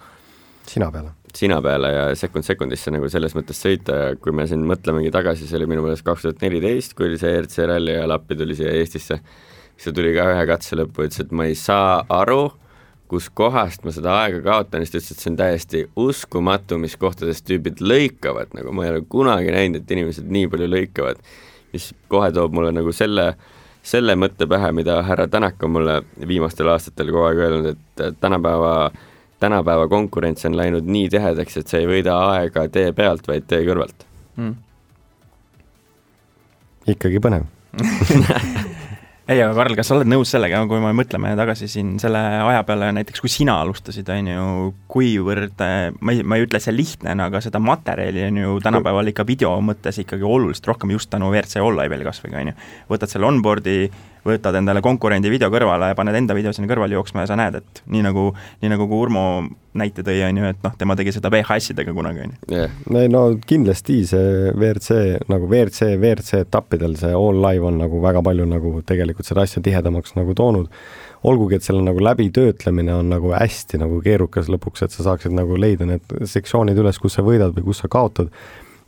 sina peale ja sekundisse nagu selles mõttes sõita ja kui me siin mõtlemegi tagasi, see oli minu meelest 2014, kui oli see RC ralli ja Lappi tuli siia Eestisse, siis ta tuli ka ühe katse lõppu, ütles, et ma ei saa aru, kus kohast ma seda aega kaotan, siis ta ütles, et see on täiesti uskumatu, mis kohtades tüübid lõikavad, nagu ma ei ole kunagi näinud, et inimesed nii palju lõikavad, mis kohe toob mulle nagu selle mõtte pähe, mida härra Tänak on mulle viimastel aastatel kogu aeg öelnud, et tänapäeva konkurents on läinud nii tihedaks, et see ei võida aega tee pealt, vaid tee kõrvalt. Ikkagi põnev. ei, aga Karl, kas sa oled nõus sellega, kui me mõtleme tagasi siin selle aja peale, näiteks kui sina alustasid, on ju, kuivõrd, ma ei ütle see lihtne, aga seda materjali on ju tänapäeval ikka video mõttes ikkagi oluliselt rohkem just tänu WRC All-Live'ile kasvõi, on ju. Võtad selle onboardi, võtad endale konkurendi video kõrvale ja paned enda video sinna kõrvale jooksma ja sa näed, et nii nagu kui Urmo näite tõi, on ju, et noh, tema tegi seda VHS-idega kunagi, on ju. Yeah. No kindlasti see WRC etappidel see All-Live on nagu väga palju nagu tegelikult seda asja tihedamaks nagu toonud. Olgugi, et selle nagu läbitöötlemine on nagu hästi nagu keerukas lõpuks, et sa saaksid nagu leida need sektsioonid üles, kus sa võidad või kus sa kaotad.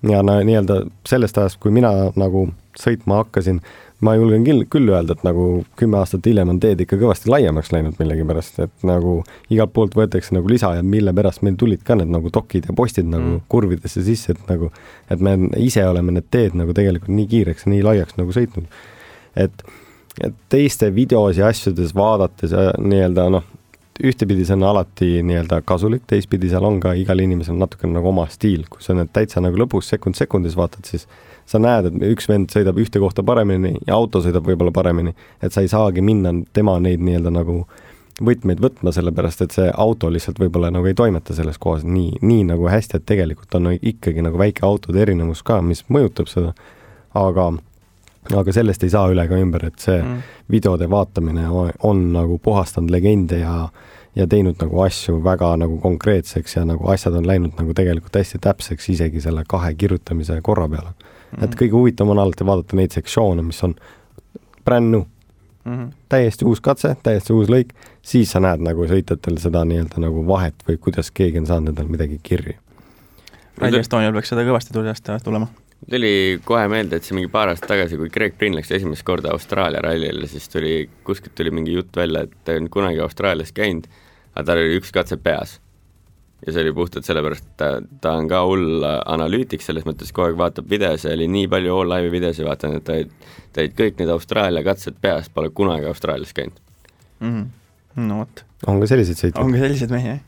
Ja nii-öelda sellest ajast, kui mina nagu sõitma hakkasin, ma julgen küll öelda, et nagu 10 aastat hiljem on teed ikka kõvasti laiemaks läinud millegi pärast, et nagu igalt poolt võetakse nagu lisa ja mille pärast meil tulid ka need nagu dokid ja postid nagu kurvidesse sisse, et me ise oleme need teed nagu tegelikult nii kiireks ja nii laiaks nagu sõitnud. Et teiste videos ja asjades vaadates nii-öelda noh, ühtepidi see on alati nii-öelda kasulik, teistpidi seal on ka igal inimesel natuke nagu oma stiil, kui sa need täitsa nagu lõpus sekundis vaatad, siis sa näed, et üks vend sõidab ühte kohta paremini ja auto sõidab võib-olla paremini, et sa ei saagi minna tema neid nii-öelda nagu võtmeid võtma, sellepärast et see auto lihtsalt võib-olla nagu ei toimeta selles kohas nii nagu hästi, et tegelikult on ikkagi nagu väike autode erinevus ka, mis mõjutab seda, aga sellest ei saa üle ka ümber, et see videode vaatamine on nagu puhastanud legende ja teinud nagu asju väga nagu konkreetseks ja nagu asjad on läinud nagu tegelikult hästi täpseks isegi selle 2 kirjutamise korra peale. Et kõige huvitavam on alati vaadata neid sektsioone, mis on brand new. Täiesti uus katse, täiesti uus lõik, siis sa näed nagu sõitjatel seda nii-öelda nagu vahet või kuidas keegi on saanud endal midagi kirja. Rally Estonial peaks seda kõvasti tulema. Tuli kohe meelde, et see mingi paar aastat tagasi, kui Greg Brinn läks esimest korda Austraalia rallile, siis kuskilt tuli mingi jutt välja, et ta on kunagi Austraalias käinud, aga tal oli üks katse peas. Ja see oli puhtalt sellepärast, et ta on ka hull analüütik, selles mõttes kogu aeg vaatab videos ja oli nii palju All-Live'i videos ja vaatan, et ta olid kõik need Austraalia katsed peas, pole kunagi Austraalias käinud. No võt. On ka sellised sõitjad? On ka sellised mehi, jah.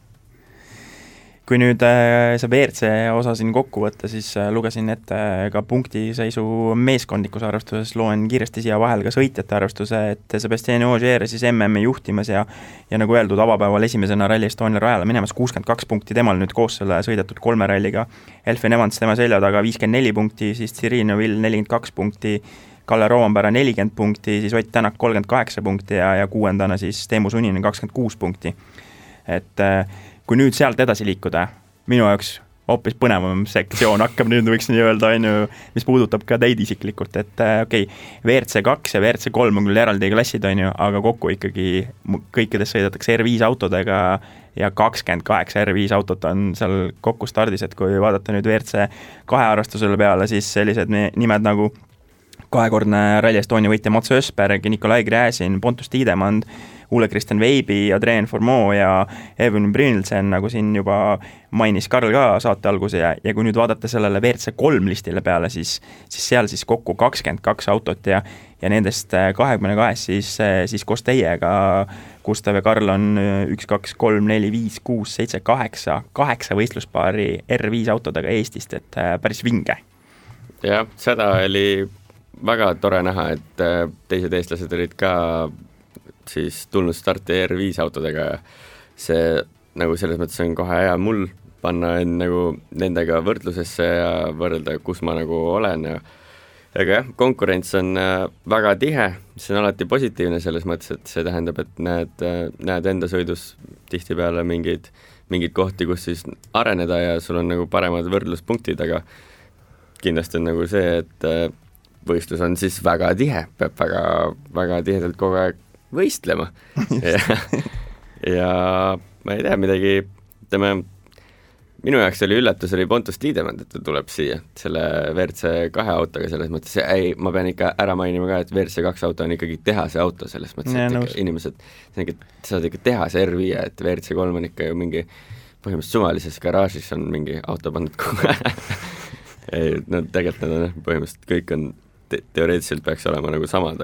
Kui nüüd see WRC osa siin kokku võtta, siis lugesin ette ka punktiseisu meeskondlikus arvestuses, loen kiiresti siia vahel ka sõitjate arvestuse, et Sebastian Ogier siis MM-i juhtimas ja nagu öeldud, avapäeval esimesena Rally Estonia rajale minemas 62 punkti, temal nüüd koos selle sõidetud 3 ralliga, Elfyn Evans tema selja taga 54 punkti, siis Thierry Neuville 42 punkti, Kalle Roompere 40 punkti, siis Ott Tänak 38 punkti ja 6. siis Teemu Suninen 26 punkti. Et kui nüüd sealt edasi liikuda, minu jaoks hoopis põnevam sektsioon hakkab nüüd, võiks nii öelda, mis puudutab ka teid isiklikult, et WRC 2 ja WRC 3 on küll eraldi klassid, aga kokku ikkagi kõikides sõidetakse R5 autodega ja 28 R5 autot on seal kokku stardis, et kui vaadata nüüd WRC 2 arvestusele peale, siis sellised nimed nagu 2-kordne Rally Estonia võitja Mats Ösberg, Nikolai Gräzin, Pontus Tiidemand, Ole Kristen Veibi, Adrien Formeau ja Evan Brynildsen, nagu siin juba mainis Karl ka saate alguse ja kui nüüd vaadata sellele WRC 3 listile peale, siis seal siis kokku 22 autot ja nendest 22 siis koos teiega Gustav ja Karl on 1, 2, 3, 4, 5, 6, 7, 8 võistluspaari R5 autodega Eestist, et päris vinge. Jah, seda oli väga tore näha, et teised eestlased olid ka siis tulnud starti R5 autodega ja see nagu selles mõttes on kohe hea mul panna nagu nendega võrdlusesse ja võrrelda, kus ma nagu olen ja aga jah, konkurents on väga tihe, see on alati positiivne selles mõttes, et see tähendab, et näed enda sõidus tihtipeale mingeid kohti, kus siis areneda ja sul on nagu paremad võrdluspunktid, aga kindlasti on nagu see, et võistlus on siis väga tihe, peab väga tihedalt kogu aeg võistlema ja ma ei tea midagi, minu jaoks oli üllatus, oli Pontus Tiidemand, et ta tuleb siia selle WRC 2 autoga, selles mõttes, ma pean ikka ära mainima ka, et WRC 2 auto on ikkagi tehase auto, selles mõttes, et inimesed saavad ikka tehase R5, et WRC 3 on ikka ju mingi põhimõtteliselt suvalises garaažis on mingi auto pandud kogu no tegelikult nad on põhimõtteliselt kõik on teoreetiliselt peaks olema nagu samad,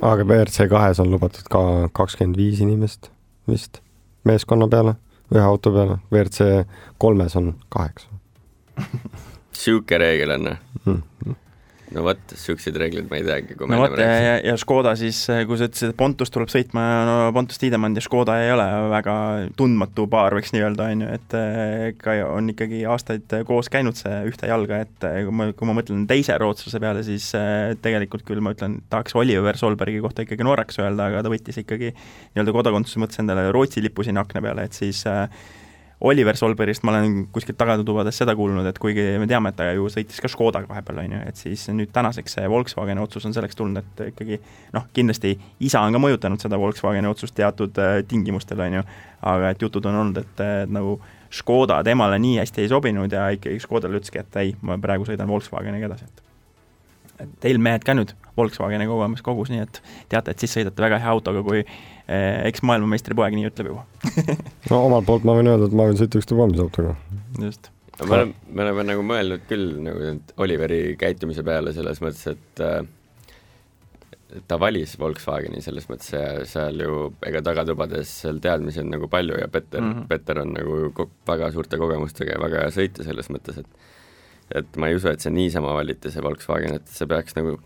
aga WRC 2 on lubatud ka 25 inimest vist meeskonna peale, ühe auto peale, WRC 3 on 8. Siuke reegel on. no vot, siukseid reeglid ma ei teagi, kui no vot, ja Škoda siis, kui sa ütlesid, et Pontus tuleb sõitma, no Pontus Tiidemand ja Škoda ei ole väga tundmatu paar, võiks nii öelda, on ju, et ka on ikkagi aastaid koos käinud see ühte jalga, et kui ma mõtlen teise rootslase peale, siis tegelikult küll ma ütlen, tahaks Oliver Solbergi kohta ikkagi Norraks öelda, aga ta võttis ikkagi nii-öelda kodakondsuse mõttes endale Rootsi lipu sinna akna peale, et siis Oliver Solbergist ma olen kuskilt tagatubades seda kuulnud, et kuigi me teame, et ta ju sõitis ka Škodaga vahepeal, on ju, et siis nüüd tänaseks see Volkswageni otsus on selleks tulnud, et ikkagi kindlasti isa on ka mõjutanud seda Volkswageni otsust teatud tingimustel, on ju, aga et jutud on olnud, et nagu Škoda temale nii hästi ei sobinud ja ikkagi Škodale ütleski, et ei, ma praegu sõidan Volkswageniga edasi, et teil mehed ka nüüd Volkswageni kogemus kogus, nii et teate, et siis sõidate väga hea autoga, kui eks maailmameistri poeg nii ütleb juba. No omalt poolt ma võin öelda, et ma võin sõita ükstapuha mis autoga. Just. Me oleme nagu mõelnud küll nagu Oliveri käitumise peale selles mõttes, et ta valis Volkswageni selles mõttes ja seal ju ega tagatubades seal teadmisi on nagu palju ja Petter on nagu väga suurte kogemustega ja väga hea sõita selles mõttes, et ma ei usu, et see niisama valiti see Volkswagen, et see peaks nagu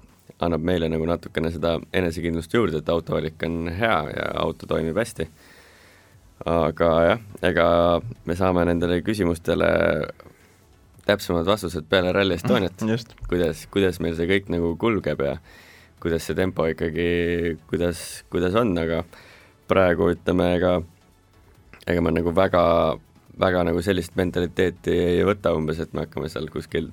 annab meile nagu natukene seda enesekindlust juurde, et autovalik on hea ja auto toimib hästi. Aga jah, ega me saame nendele küsimustele täpsemad vastused peale Rally Estoniat, kuidas meil see kõik nagu kulgeb ja kuidas see tempo ikkagi, kuidas on, aga praegu ütleme, ega ma nagu väga nagu sellist mentaliteeti ei võta umbes, et me hakkame seal kuskil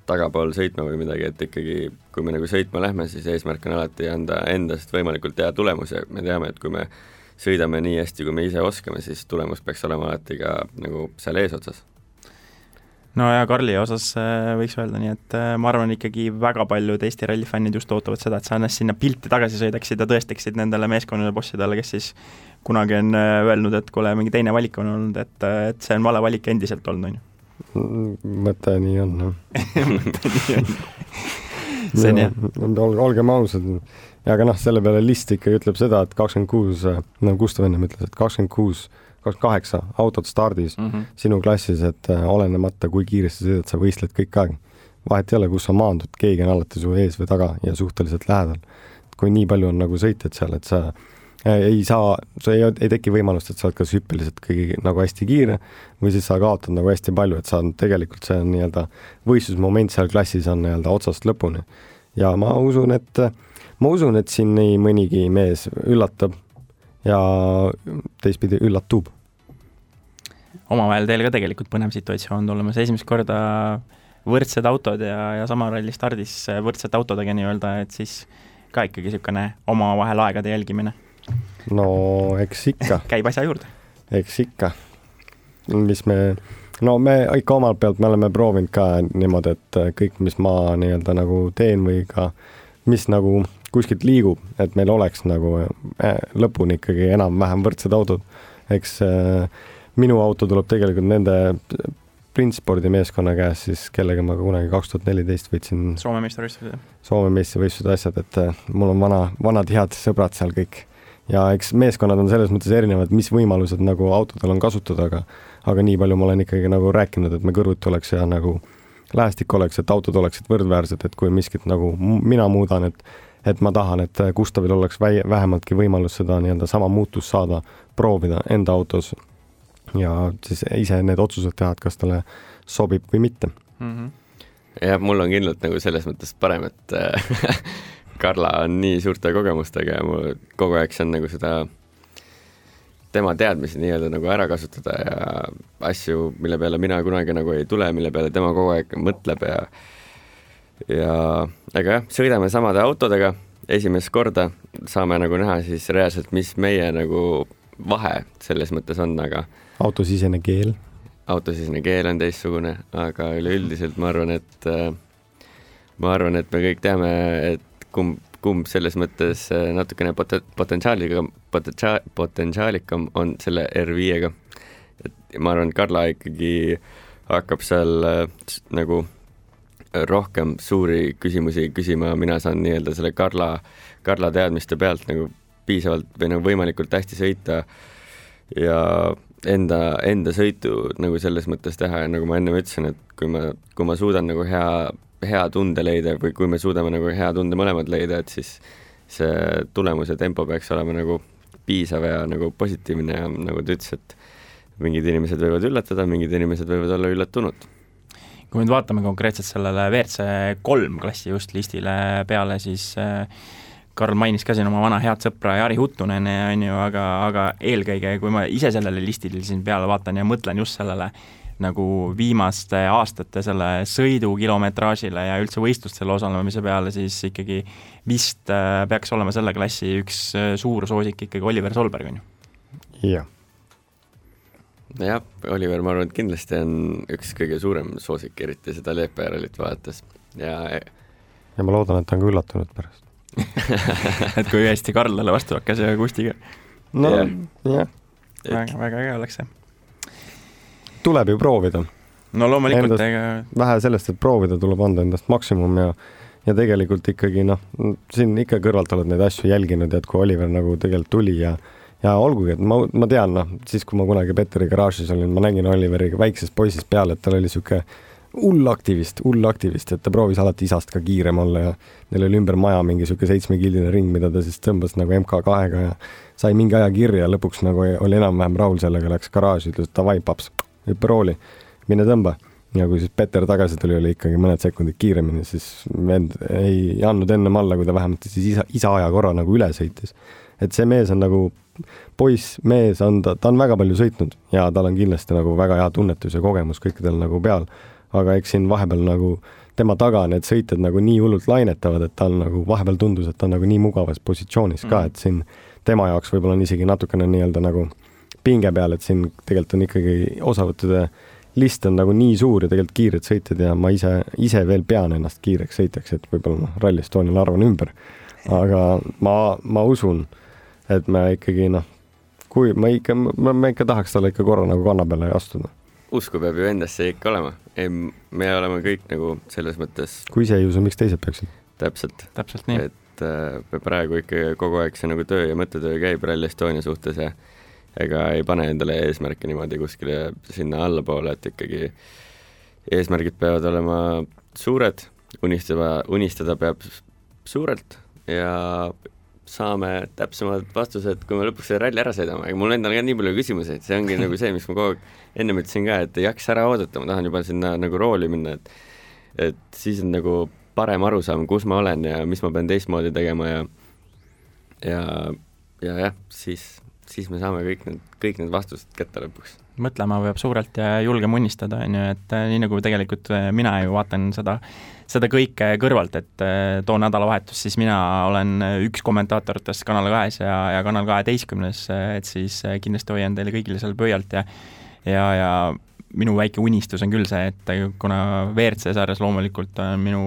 tagapool sõitma või midagi, et ikkagi kui me nagu sõitma lähme, siis eesmärk on alati anda endast võimalikult hea tulemus ja me teame, et kui me sõidame nii hästi, kui me ise oskame, siis tulemus peaks olema alati ka nagu seal eesotsas. No ja Karli osas võiks öelda nii, et ma arvan ikkagi väga paljud Eesti rallifännid just ootavad seda, et sa ennast sinna pilti tagasi sõidaksid ja tõestaksid nendele meeskonnale bossidele, kes siis kunagi on öelnud, et kuule, mingi teine valik on olnud, et see on vale valik endiselt olnud, on ju. Mõte nii on, noh. See on jah. Olgem ausad. Ja aga selle peale list ikkagi ütleb seda, et 26, nagu Gustav enne ütles, et 28 autot stardis sinu klassis, et olenemata kui kiiresti sõidad, sa võistled kõik aeg. Vahet ei ole, kus sa maandud, keegi on alati su ees või taga ja suhteliselt lähedal. Kui nii palju on nagu sõitjad seal, et sa ei teki võimalust, et sa oled kas hüppeliselt kõigi nagu hästi kiire või siis sa kaotad nagu hästi palju, et sa on tegelikult see nii-öelda võistlusmoment seal klassis on nii-öelda otsast lõpuni. Ja ma usun, et siin nii mõnigi mees üllatab ja teistpidi üllatub. Omavahel teil ka tegelikult põnev situatsioon tulemas. Esimest korda võrdsed autod ja sama ralli stardis võrdsed autodega nii-öelda, et siis ka ikkagi niisugune omavahel aegade jälgimine. No eks ikka. Käib asja juurde. Eks ikka. Me ikka omalt pealt me oleme proovinud ka niimoodi, et kõik, mis ma nii-öelda nagu teen või ka mis nagu kuskilt liigub, et meil oleks nagu lõpuni ikkagi enam-vähem võrdsed autod. Eks minu auto tuleb tegelikult nende Printspordi meeskonna käes, siis kellega ma kunagi 2014 võitsin Soome meistrivõistlused asjad, et mul on vanad head sõbrad seal kõik. Ja eks meeskonnad on selles mõttes erinevad, mis võimalused nagu autodel on kasutada, aga nii palju ma olen ikkagi nagu rääkinud, et me kõrvuti oleks ja nagu lähestik oleks, et autod oleksid võrdväärsed, et kui miskit nagu mina muudan, et ma tahan, et Gustavil oleks vähemaltki võimalus seda nii-öelda sama muutust saada, proovida enda autos ja siis ise need otsused teha, et kas talle sobib või mitte. Ja mul on kindlalt nagu selles mõttes parem, et Karla on nii suurte kogemustega ja mul kogu aeg see on nagu seda tema teadmisi nii-öelda nagu ära kasutada ja asju, mille peale mina kunagi nagu ei tule, mille peale tema kogu aeg mõtleb ja aga jah, sõidame samade autodega esimest korda, saame nagu näha siis reaalselt, mis meie nagu vahe selles mõttes on, aga autosisene keel on teistsugune, aga üleüldiselt ma arvan, et me kõik teame, et kumb selles mõttes natukene potentsiaalikam on selle R5-ga. Et ma arvan, et Karla ikkagi hakkab seal nagu rohkem suuri küsimusi küsima, mina saan nii-öelda selle Karla teadmiste pealt nagu piisavalt või nagu võimalikult hästi sõita ja enda sõitu nagu selles mõttes teha ja nagu ma enne ütlesin, et kui ma suudan nagu hea tunde leida või kui me suudame nagu hea tunde mõlemad leida, et siis see tulemus ja tempo peaks olema nagu piisav ja nagu positiivne ja nagu ta ütles, et mingid inimesed võivad üllatada, mingid inimesed võivad olla üllatunud. Kui nüüd vaatame konkreetselt sellele WRC 3 klassi just listile peale, siis Karl mainis ka siin oma vana head sõpra Jari Huttunen, on ju, aga eelkõige, kui ma ise sellele listile siin peale vaatan ja mõtlen just sellele nagu viimaste aastate selle sõidu kilometraažile ja üldse võistlustel osalemise peale, siis ikkagi vist peaks olema selle klassi üks suur soosik ikkagi Oliver Solberg, on ju? Jah. Jah, Oliver, ma arvan, et kindlasti on üks kõige suurem soosik, eriti seda Leepa-Järvelit vaadates. Ja ma loodan, et ta on ka üllatunud pärast. Et kui hästi Karlale vastu hakkas ja Kustiga. No, jah. Väga äge oleks see. Tuleb ju proovida. No loomulikult. Vähe sellest, et proovida, tuleb anda endast maksimum ja tegelikult ikkagi, siin ikka kõrvalt oled neid asju jälginud, et kui Oliver nagu tegelikult tuli ja olgugi, et ma tean, siis kui ma kunagi Petteri garaažis olin, ma nägin Oliveriga väiksest poisist peale, et tal oli siuke hull aktivist, et ta proovis alati isast ka kiirem olla ja neil oli ümber maja mingi siuke 7-killine ring, mida ta siis tõmbas nagu MK2-ga ja sai mingi aja kirja, lõpuks nagu oli enam-vähem rahul sellega, läks garaaži, ütles, et davai, paps, hüppe rooli, mine tõmba. Ja kui siis Petter tagasi tuli, oli ikkagi mõned sekundid kiiremini, siis vend ei andnud ennem alla, kui ta vähemalt siis isa aja korra nagu üle sõitis. Et see mees on nagu mees on, ta on väga palju sõitnud ja tal on kindlasti nagu väga hea tunnetus ja kogemus kõikidel nagu peal, aga eks siin vahepeal nagu tema taga need sõitjad nagu nii hullult lainetavad, et ta on nagu vahepeal tundus, et ta on nagu nii mugavas positsioonis ka, et siin tema jaoks võib-olla on isegi natukene nii-öelda nagu pinge peal, et siin tegelikult on ikkagi osavõttude list on nagu nii suur ja tegelikult kiired sõitjad ja ma ise veel pean ennast kiireks sõitjaks, et võib-olla Rally Estonial arvan ümber, aga ma usun, et me ikkagi kui me ikka tahaks talle ikka korra nagu kanna peale astuda. Usku peab ju endasse ikka olema. Me oleme kõik nagu selles mõttes... Kui ise ei usu, miks teised peaksid? Täpselt nii. Et praegu ikka kogu aeg see nagu töö ja mõttetöö käib Rally Estonia suhtes ja ega ei pane endale eesmärke niimoodi kuskile sinna allapoole, et ikkagi eesmärgid peavad olema suured, unistada peab suurelt ja saame täpsemad vastused, kui me lõpuks selle ralli ära sõidame, aga mul endal ka nii palju küsimusi, et see ongi nagu see, mis ma kogu aeg enne ütlesin ka, et ei jaksa ära oodata, ma tahan juba sinna nagu rooli minna, et siis on nagu parem aru saama, kus ma olen ja mis ma pean teistmoodi tegema ja siis me saame kõik need vastused kätte lõpuks. Mõtlema peab suurelt ja julgem unistada, on ju, et nii nagu tegelikult mina ju vaatan seda kõike kõrvalt, et too nädalavahetus siis mina olen üks kommentaatoritest Kanal 2 ja Kanal 12, et siis kindlasti hoian teile kõigile seal pöialt ja minu väike unistus on küll see, et kuna WRC sarjas loomulikult on minu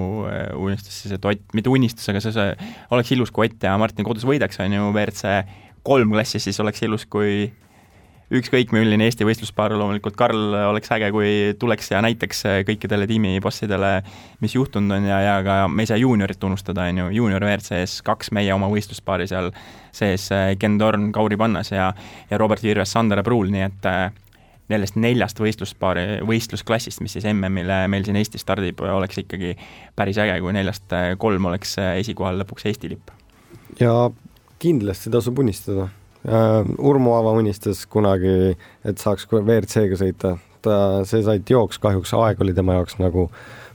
unistus siis, et Ott, mitte unistus, aga see oleks ilus, kui Ott ja Martin Kodus võidaks, on ju WRC 3 klassis, siis oleks ilus, kui ükskõik milline Eesti võistluspaar, loomulikult Karl oleks äge, kui tuleks ja näiteks kõikidele tiimibossidele, mis juhtunud on ja ka me ei saa juuniorit unustada, on ju, juunior WRC-s 2 meie oma võistluspaari seal sees Ken Torn, Kauri Pannas ja Robert Virves, Sander Pruul, nii et nendest 4 võistlusklassist, mis siis MM-ile meil siin Eestis stardib, oleks ikkagi päris äge, kui 4 3 oleks esikohal lõpuks Eesti lipp. Ja kindlasti tasub unistada. Urmo Aava unistas kunagi, et saaks WRC-ga sõita. See sai jooks, kahjuks aeg oli tema jaoks nagu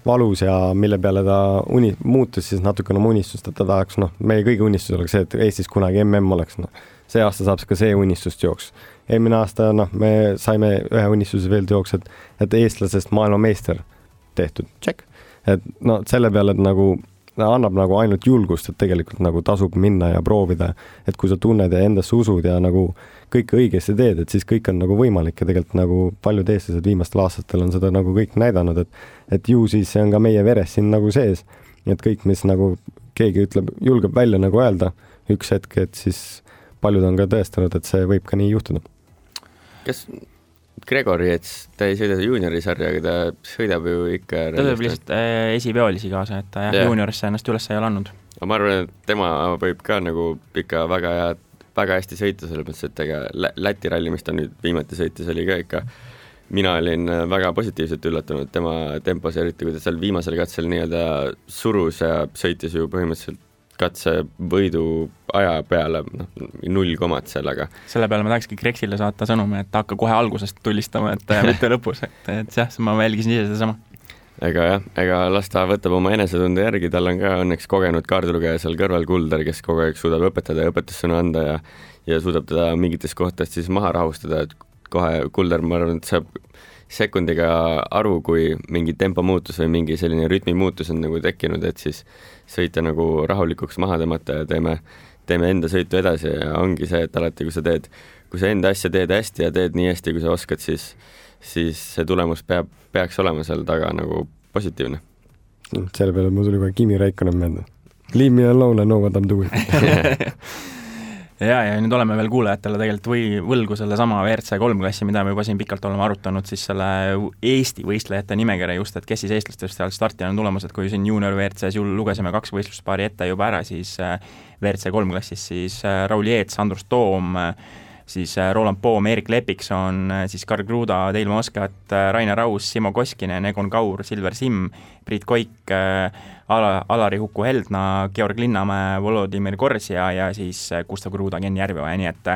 valus ja mille peale ta muutus siis natukene oma unistust, et ta tahaks, meie kõigi unistus oleks see, et Eestis kunagi MM oleks. See aasta saab ka see unistust jooks. Eelmine aasta me saime ühe unistuse veel jooks, et eestlasest maailmameister tehtud. Check. Et selle peale, et nagu annab nagu ainult julgust, et tegelikult nagu tasub minna ja proovida, et kui sa tunned ja endasse usud ja nagu kõik õigesti teed, et siis kõik on nagu võimalik ja tegelikult nagu paljud eestlased viimastel aastatel on seda nagu kõik näidanud, et ju siis see on ka meie veres siin nagu sees, et kõik, mis nagu keegi julgeb välja nagu öelda üks hetk, et siis paljud on ka tõestanud, et see võib ka nii juhtuda. Kas Gregori, et ta ei sõida juuniori sarja, aga ta sõidab ju ikka... Ta tuleb lihtsalt esipeolisi kaasa, et ta juuniorisse ennast üles ei ole andnud. Ma arvan, et tema võib ka nagu ikka väga hästi sõita, selle mõttes, et ega Läti ralli, mis ta nüüd viimati sõitis, oli ka ikka mina olin väga positiivselt üllatunud tema tempos, eriti kui ta seal viimasel katsel nii-öelda surus ja sõitis ju põhimõtteliselt katse võidu aja peale, 0 komad seal, aga selle peale ma tahakski Grexile saata sõnumi, et hakka kohe algusest tulistama, et mitte lõpus, et jah, ma jälgisin ise sedasama. Ega las ta võtab oma enesetunde järgi, tal on ka õnneks kogenud kaardilugeja seal kõrval Kulder, kes kogu aeg suudab õpetada ja õpetussõnu anda ja suudab teda mingites kohtades siis maha rahustada, et kohe Kulder, ma arvan, et saab sekundiga aru, kui mingi tempo muutus või mingi selline rütmi muutus on nagu tekkinud, et siis sõita nagu rahulikuks maha tõmmata ja teeme enda sõitu edasi ja ongi see, et alati, kui sa enda asja teed hästi ja teed nii hästi, kui sa oskad, siis see tulemus peaks olema seal taga nagu positiivne. Selle peale mul tuli kohe Kimi Räikkönen meelde. Leave me alone, I know what I'm doing. ja nüüd oleme veel kuulajatele tegelikult võlgu selle sama WRC 3 klassi, mida me juba siin pikalt oleme arutanud, siis selle Eesti võistlejate nimekirja just, et kes siis eestlastest seal starti on tulemas, et kui siin junior WRC-s lugesime 2 võistluspaari ette juba ära, siis WRC 3 klassis siis Raul Jeets, Andrus Toom, siis Roland Poom, Erik Lepikson, siis Karl Kruda, Teil Moskat, Rainer Raus, Simo Koskinen, Egon Kaur, Silver Simm, Priit Koik, Alari Huku-Heldna, Georg Linnamäe, Volodimir Korsja ja siis Gustav Kruda, Ken Järveoja, nii et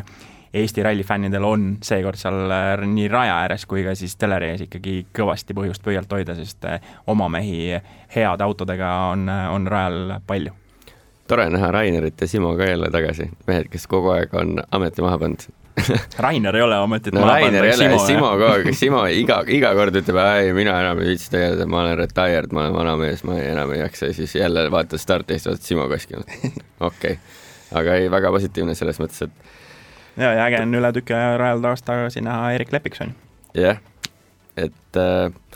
Eesti rallifännidel on seekord seal nii raja ääres kui ka siis telerees ikkagi kõvasti põhjust pöialt hoida, sest oma mehi heade autodega on rajal palju. Tore näha Rainerit ja Simo ka jälle tagasi, mehed, kes kogu aeg on ameti maha pannud. Rainer ei ole ametit maha pannud, Simo iga kord ütleb, ei, mina enam ei viitsi tegeleda, ma olen retired, ma olen vanamees, ma enam ei jaksa, siis jälle vaatad startist, vaatad Simo Koskinud. Okei. Aga ei, väga positiivne selles mõttes, et ja äge on üle tükki rajal tagasi näha Erik Lepikson. Jah, et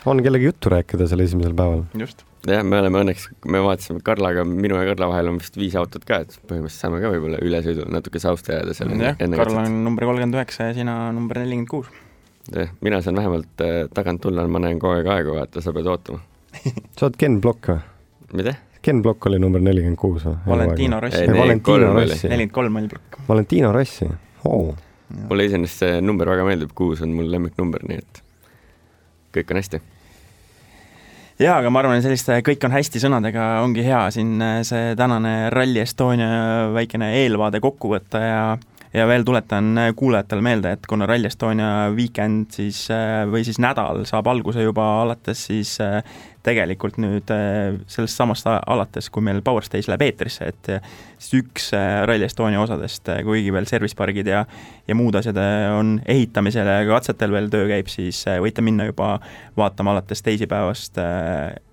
on kellegi juttu rääkida selle esimesel päeval. Just. Jah, me vaatasime Karlaga, minu ja Karla vahel on vist 5 autot ka, et põhimõtteliselt saame ka võib-olla ülesõidul natuke sausta jääda seal. Jah, Karl on number 39 ja sina number 46. Jah, mina saan vähemalt tagant tulla, ma näen kogu aeg aega, vaata, sa pead ootama. Sa oled Ken Block või? Mida? Ken Block oli number 46 või? Valentino Rossi. 43 oli Block. Valentino Rossi. Mulle iseenesest see number väga meeldib, 6 on mul lemmiknumber, nii et kõik on hästi. Jaa, aga ma arvan, et selliste kõik on hästi sõnadega ongi hea siin see tänane Rally Estonia väikene eelvaade kokku võtta ja veel tuletan kuulajatele meelde, et kuna Rally Estonia weekend siis, või siis nädal saab alguse juba alates siis tegelikult nüüd sellest samast alates, kui meil Power Stage läheb eetrisse, et siis üks Rally Estonia osadest, kuigi veel servicepargid ja muud asjad on ehitamisel ja katsetel veel töö käib, siis võite minna juba vaatama alates teisipäevast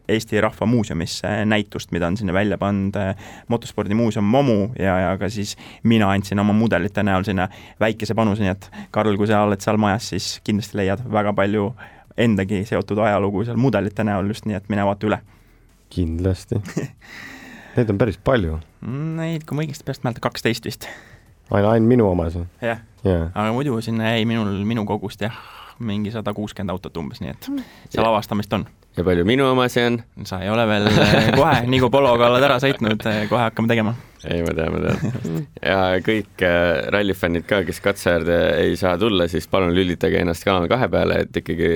Eesti Rahva Muuseumisse näitust, mida on sinna välja pannud motospordimuuseum Momu ja ka siis mina andsin oma mudelite näol sinna väikese panuse, nii et Karl, kui sa oled seal majas, siis kindlasti leiad väga palju endagi seotud ajalugu seal mudelite näol just, nii et mine vaata üle. Kindlasti. Neid on päris palju. Neid, kui ma õigesti peast määlda, 12 vist. Aina minu omas. Jah, aga muidu sinna jäi minu kogust mingi 160 autot umbes, nii et seal avastamist on. Ja palju minu omasi on? Sa ei ole veel kohe, nii kui Pologa oled ära sõitnud, kohe hakkame tegema. Ei, ma tean. Ja kõik rallifännid ka, kes katseäärde ei saa tulla, siis palun lülitage ennast Kanal 2 peale, et ikkagi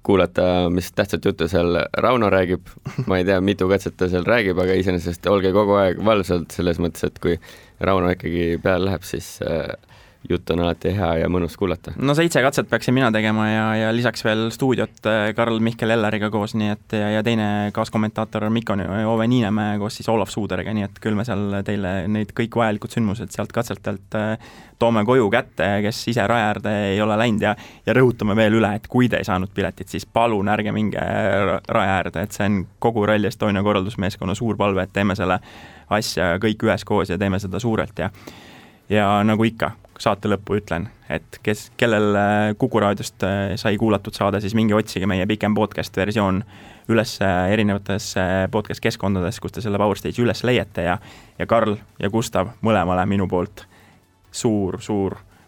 kuulata, mis tähtsat juttu seal Rauno räägib. Ma ei tea, mitu katset ta seal räägib, aga iseenesest olge kogu aeg valvsalt selles mõttes, et kui Rauno ikkagi peale läheb, siis jutt on alati hea ja mõnus kuulata. No 7 katset peaksin mina tegema ja lisaks veel stuudiot Karl Mihkel Elleriga koos, nii et ja teine kaaskommentaator Mikko Ove Niinemäe koos siis Olav Suuderiga, nii et küll me seal teile neid kõik vajalikud sündmused sealt katsetelt toome koju kätte, kes ise rajaäärde ei ole läinud ja rõhutame veel üle, et kui te ei saanud piletit, siis palun ärge minge rajaäärde, et see on kogu Rally Estonia korraldusmeeskonna suur palve, et teeme selle asja kõik üheskoos ja teeme seda suurelt ja nagu ikka, saate lõppu ütlen, et kellel Kuku raadiost sai kuulatud saada, siis minge otsige meie pikem podcast versioon üles erinevates podcast keskkondades, kus te selle Power Stage üles leiate ja Karl ja Gustav mõlemale minu poolt suur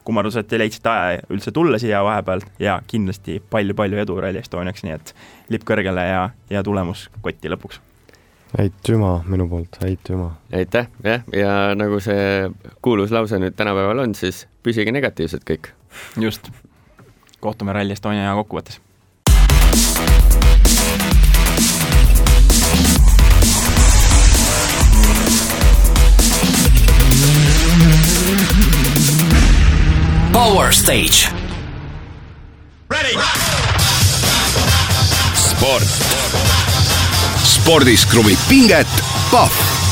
kummardus, et te leidsite aja üldse tulla siia vahepeal ja kindlasti palju edu Rally Estoniaks, nii et lipp kõrgele ja tulemus kotti lõpuks. Aitüma minu poolt, aitüma. Aitäh, jah, ja nagu see kuulus lause nüüd tänapäeval on, siis püsige negatiivsed kõik. Just. kohtume Rally Estonia kokkuvõttes. Power Stage. Ready. Sport. Spordis kruvib pinget Pahv.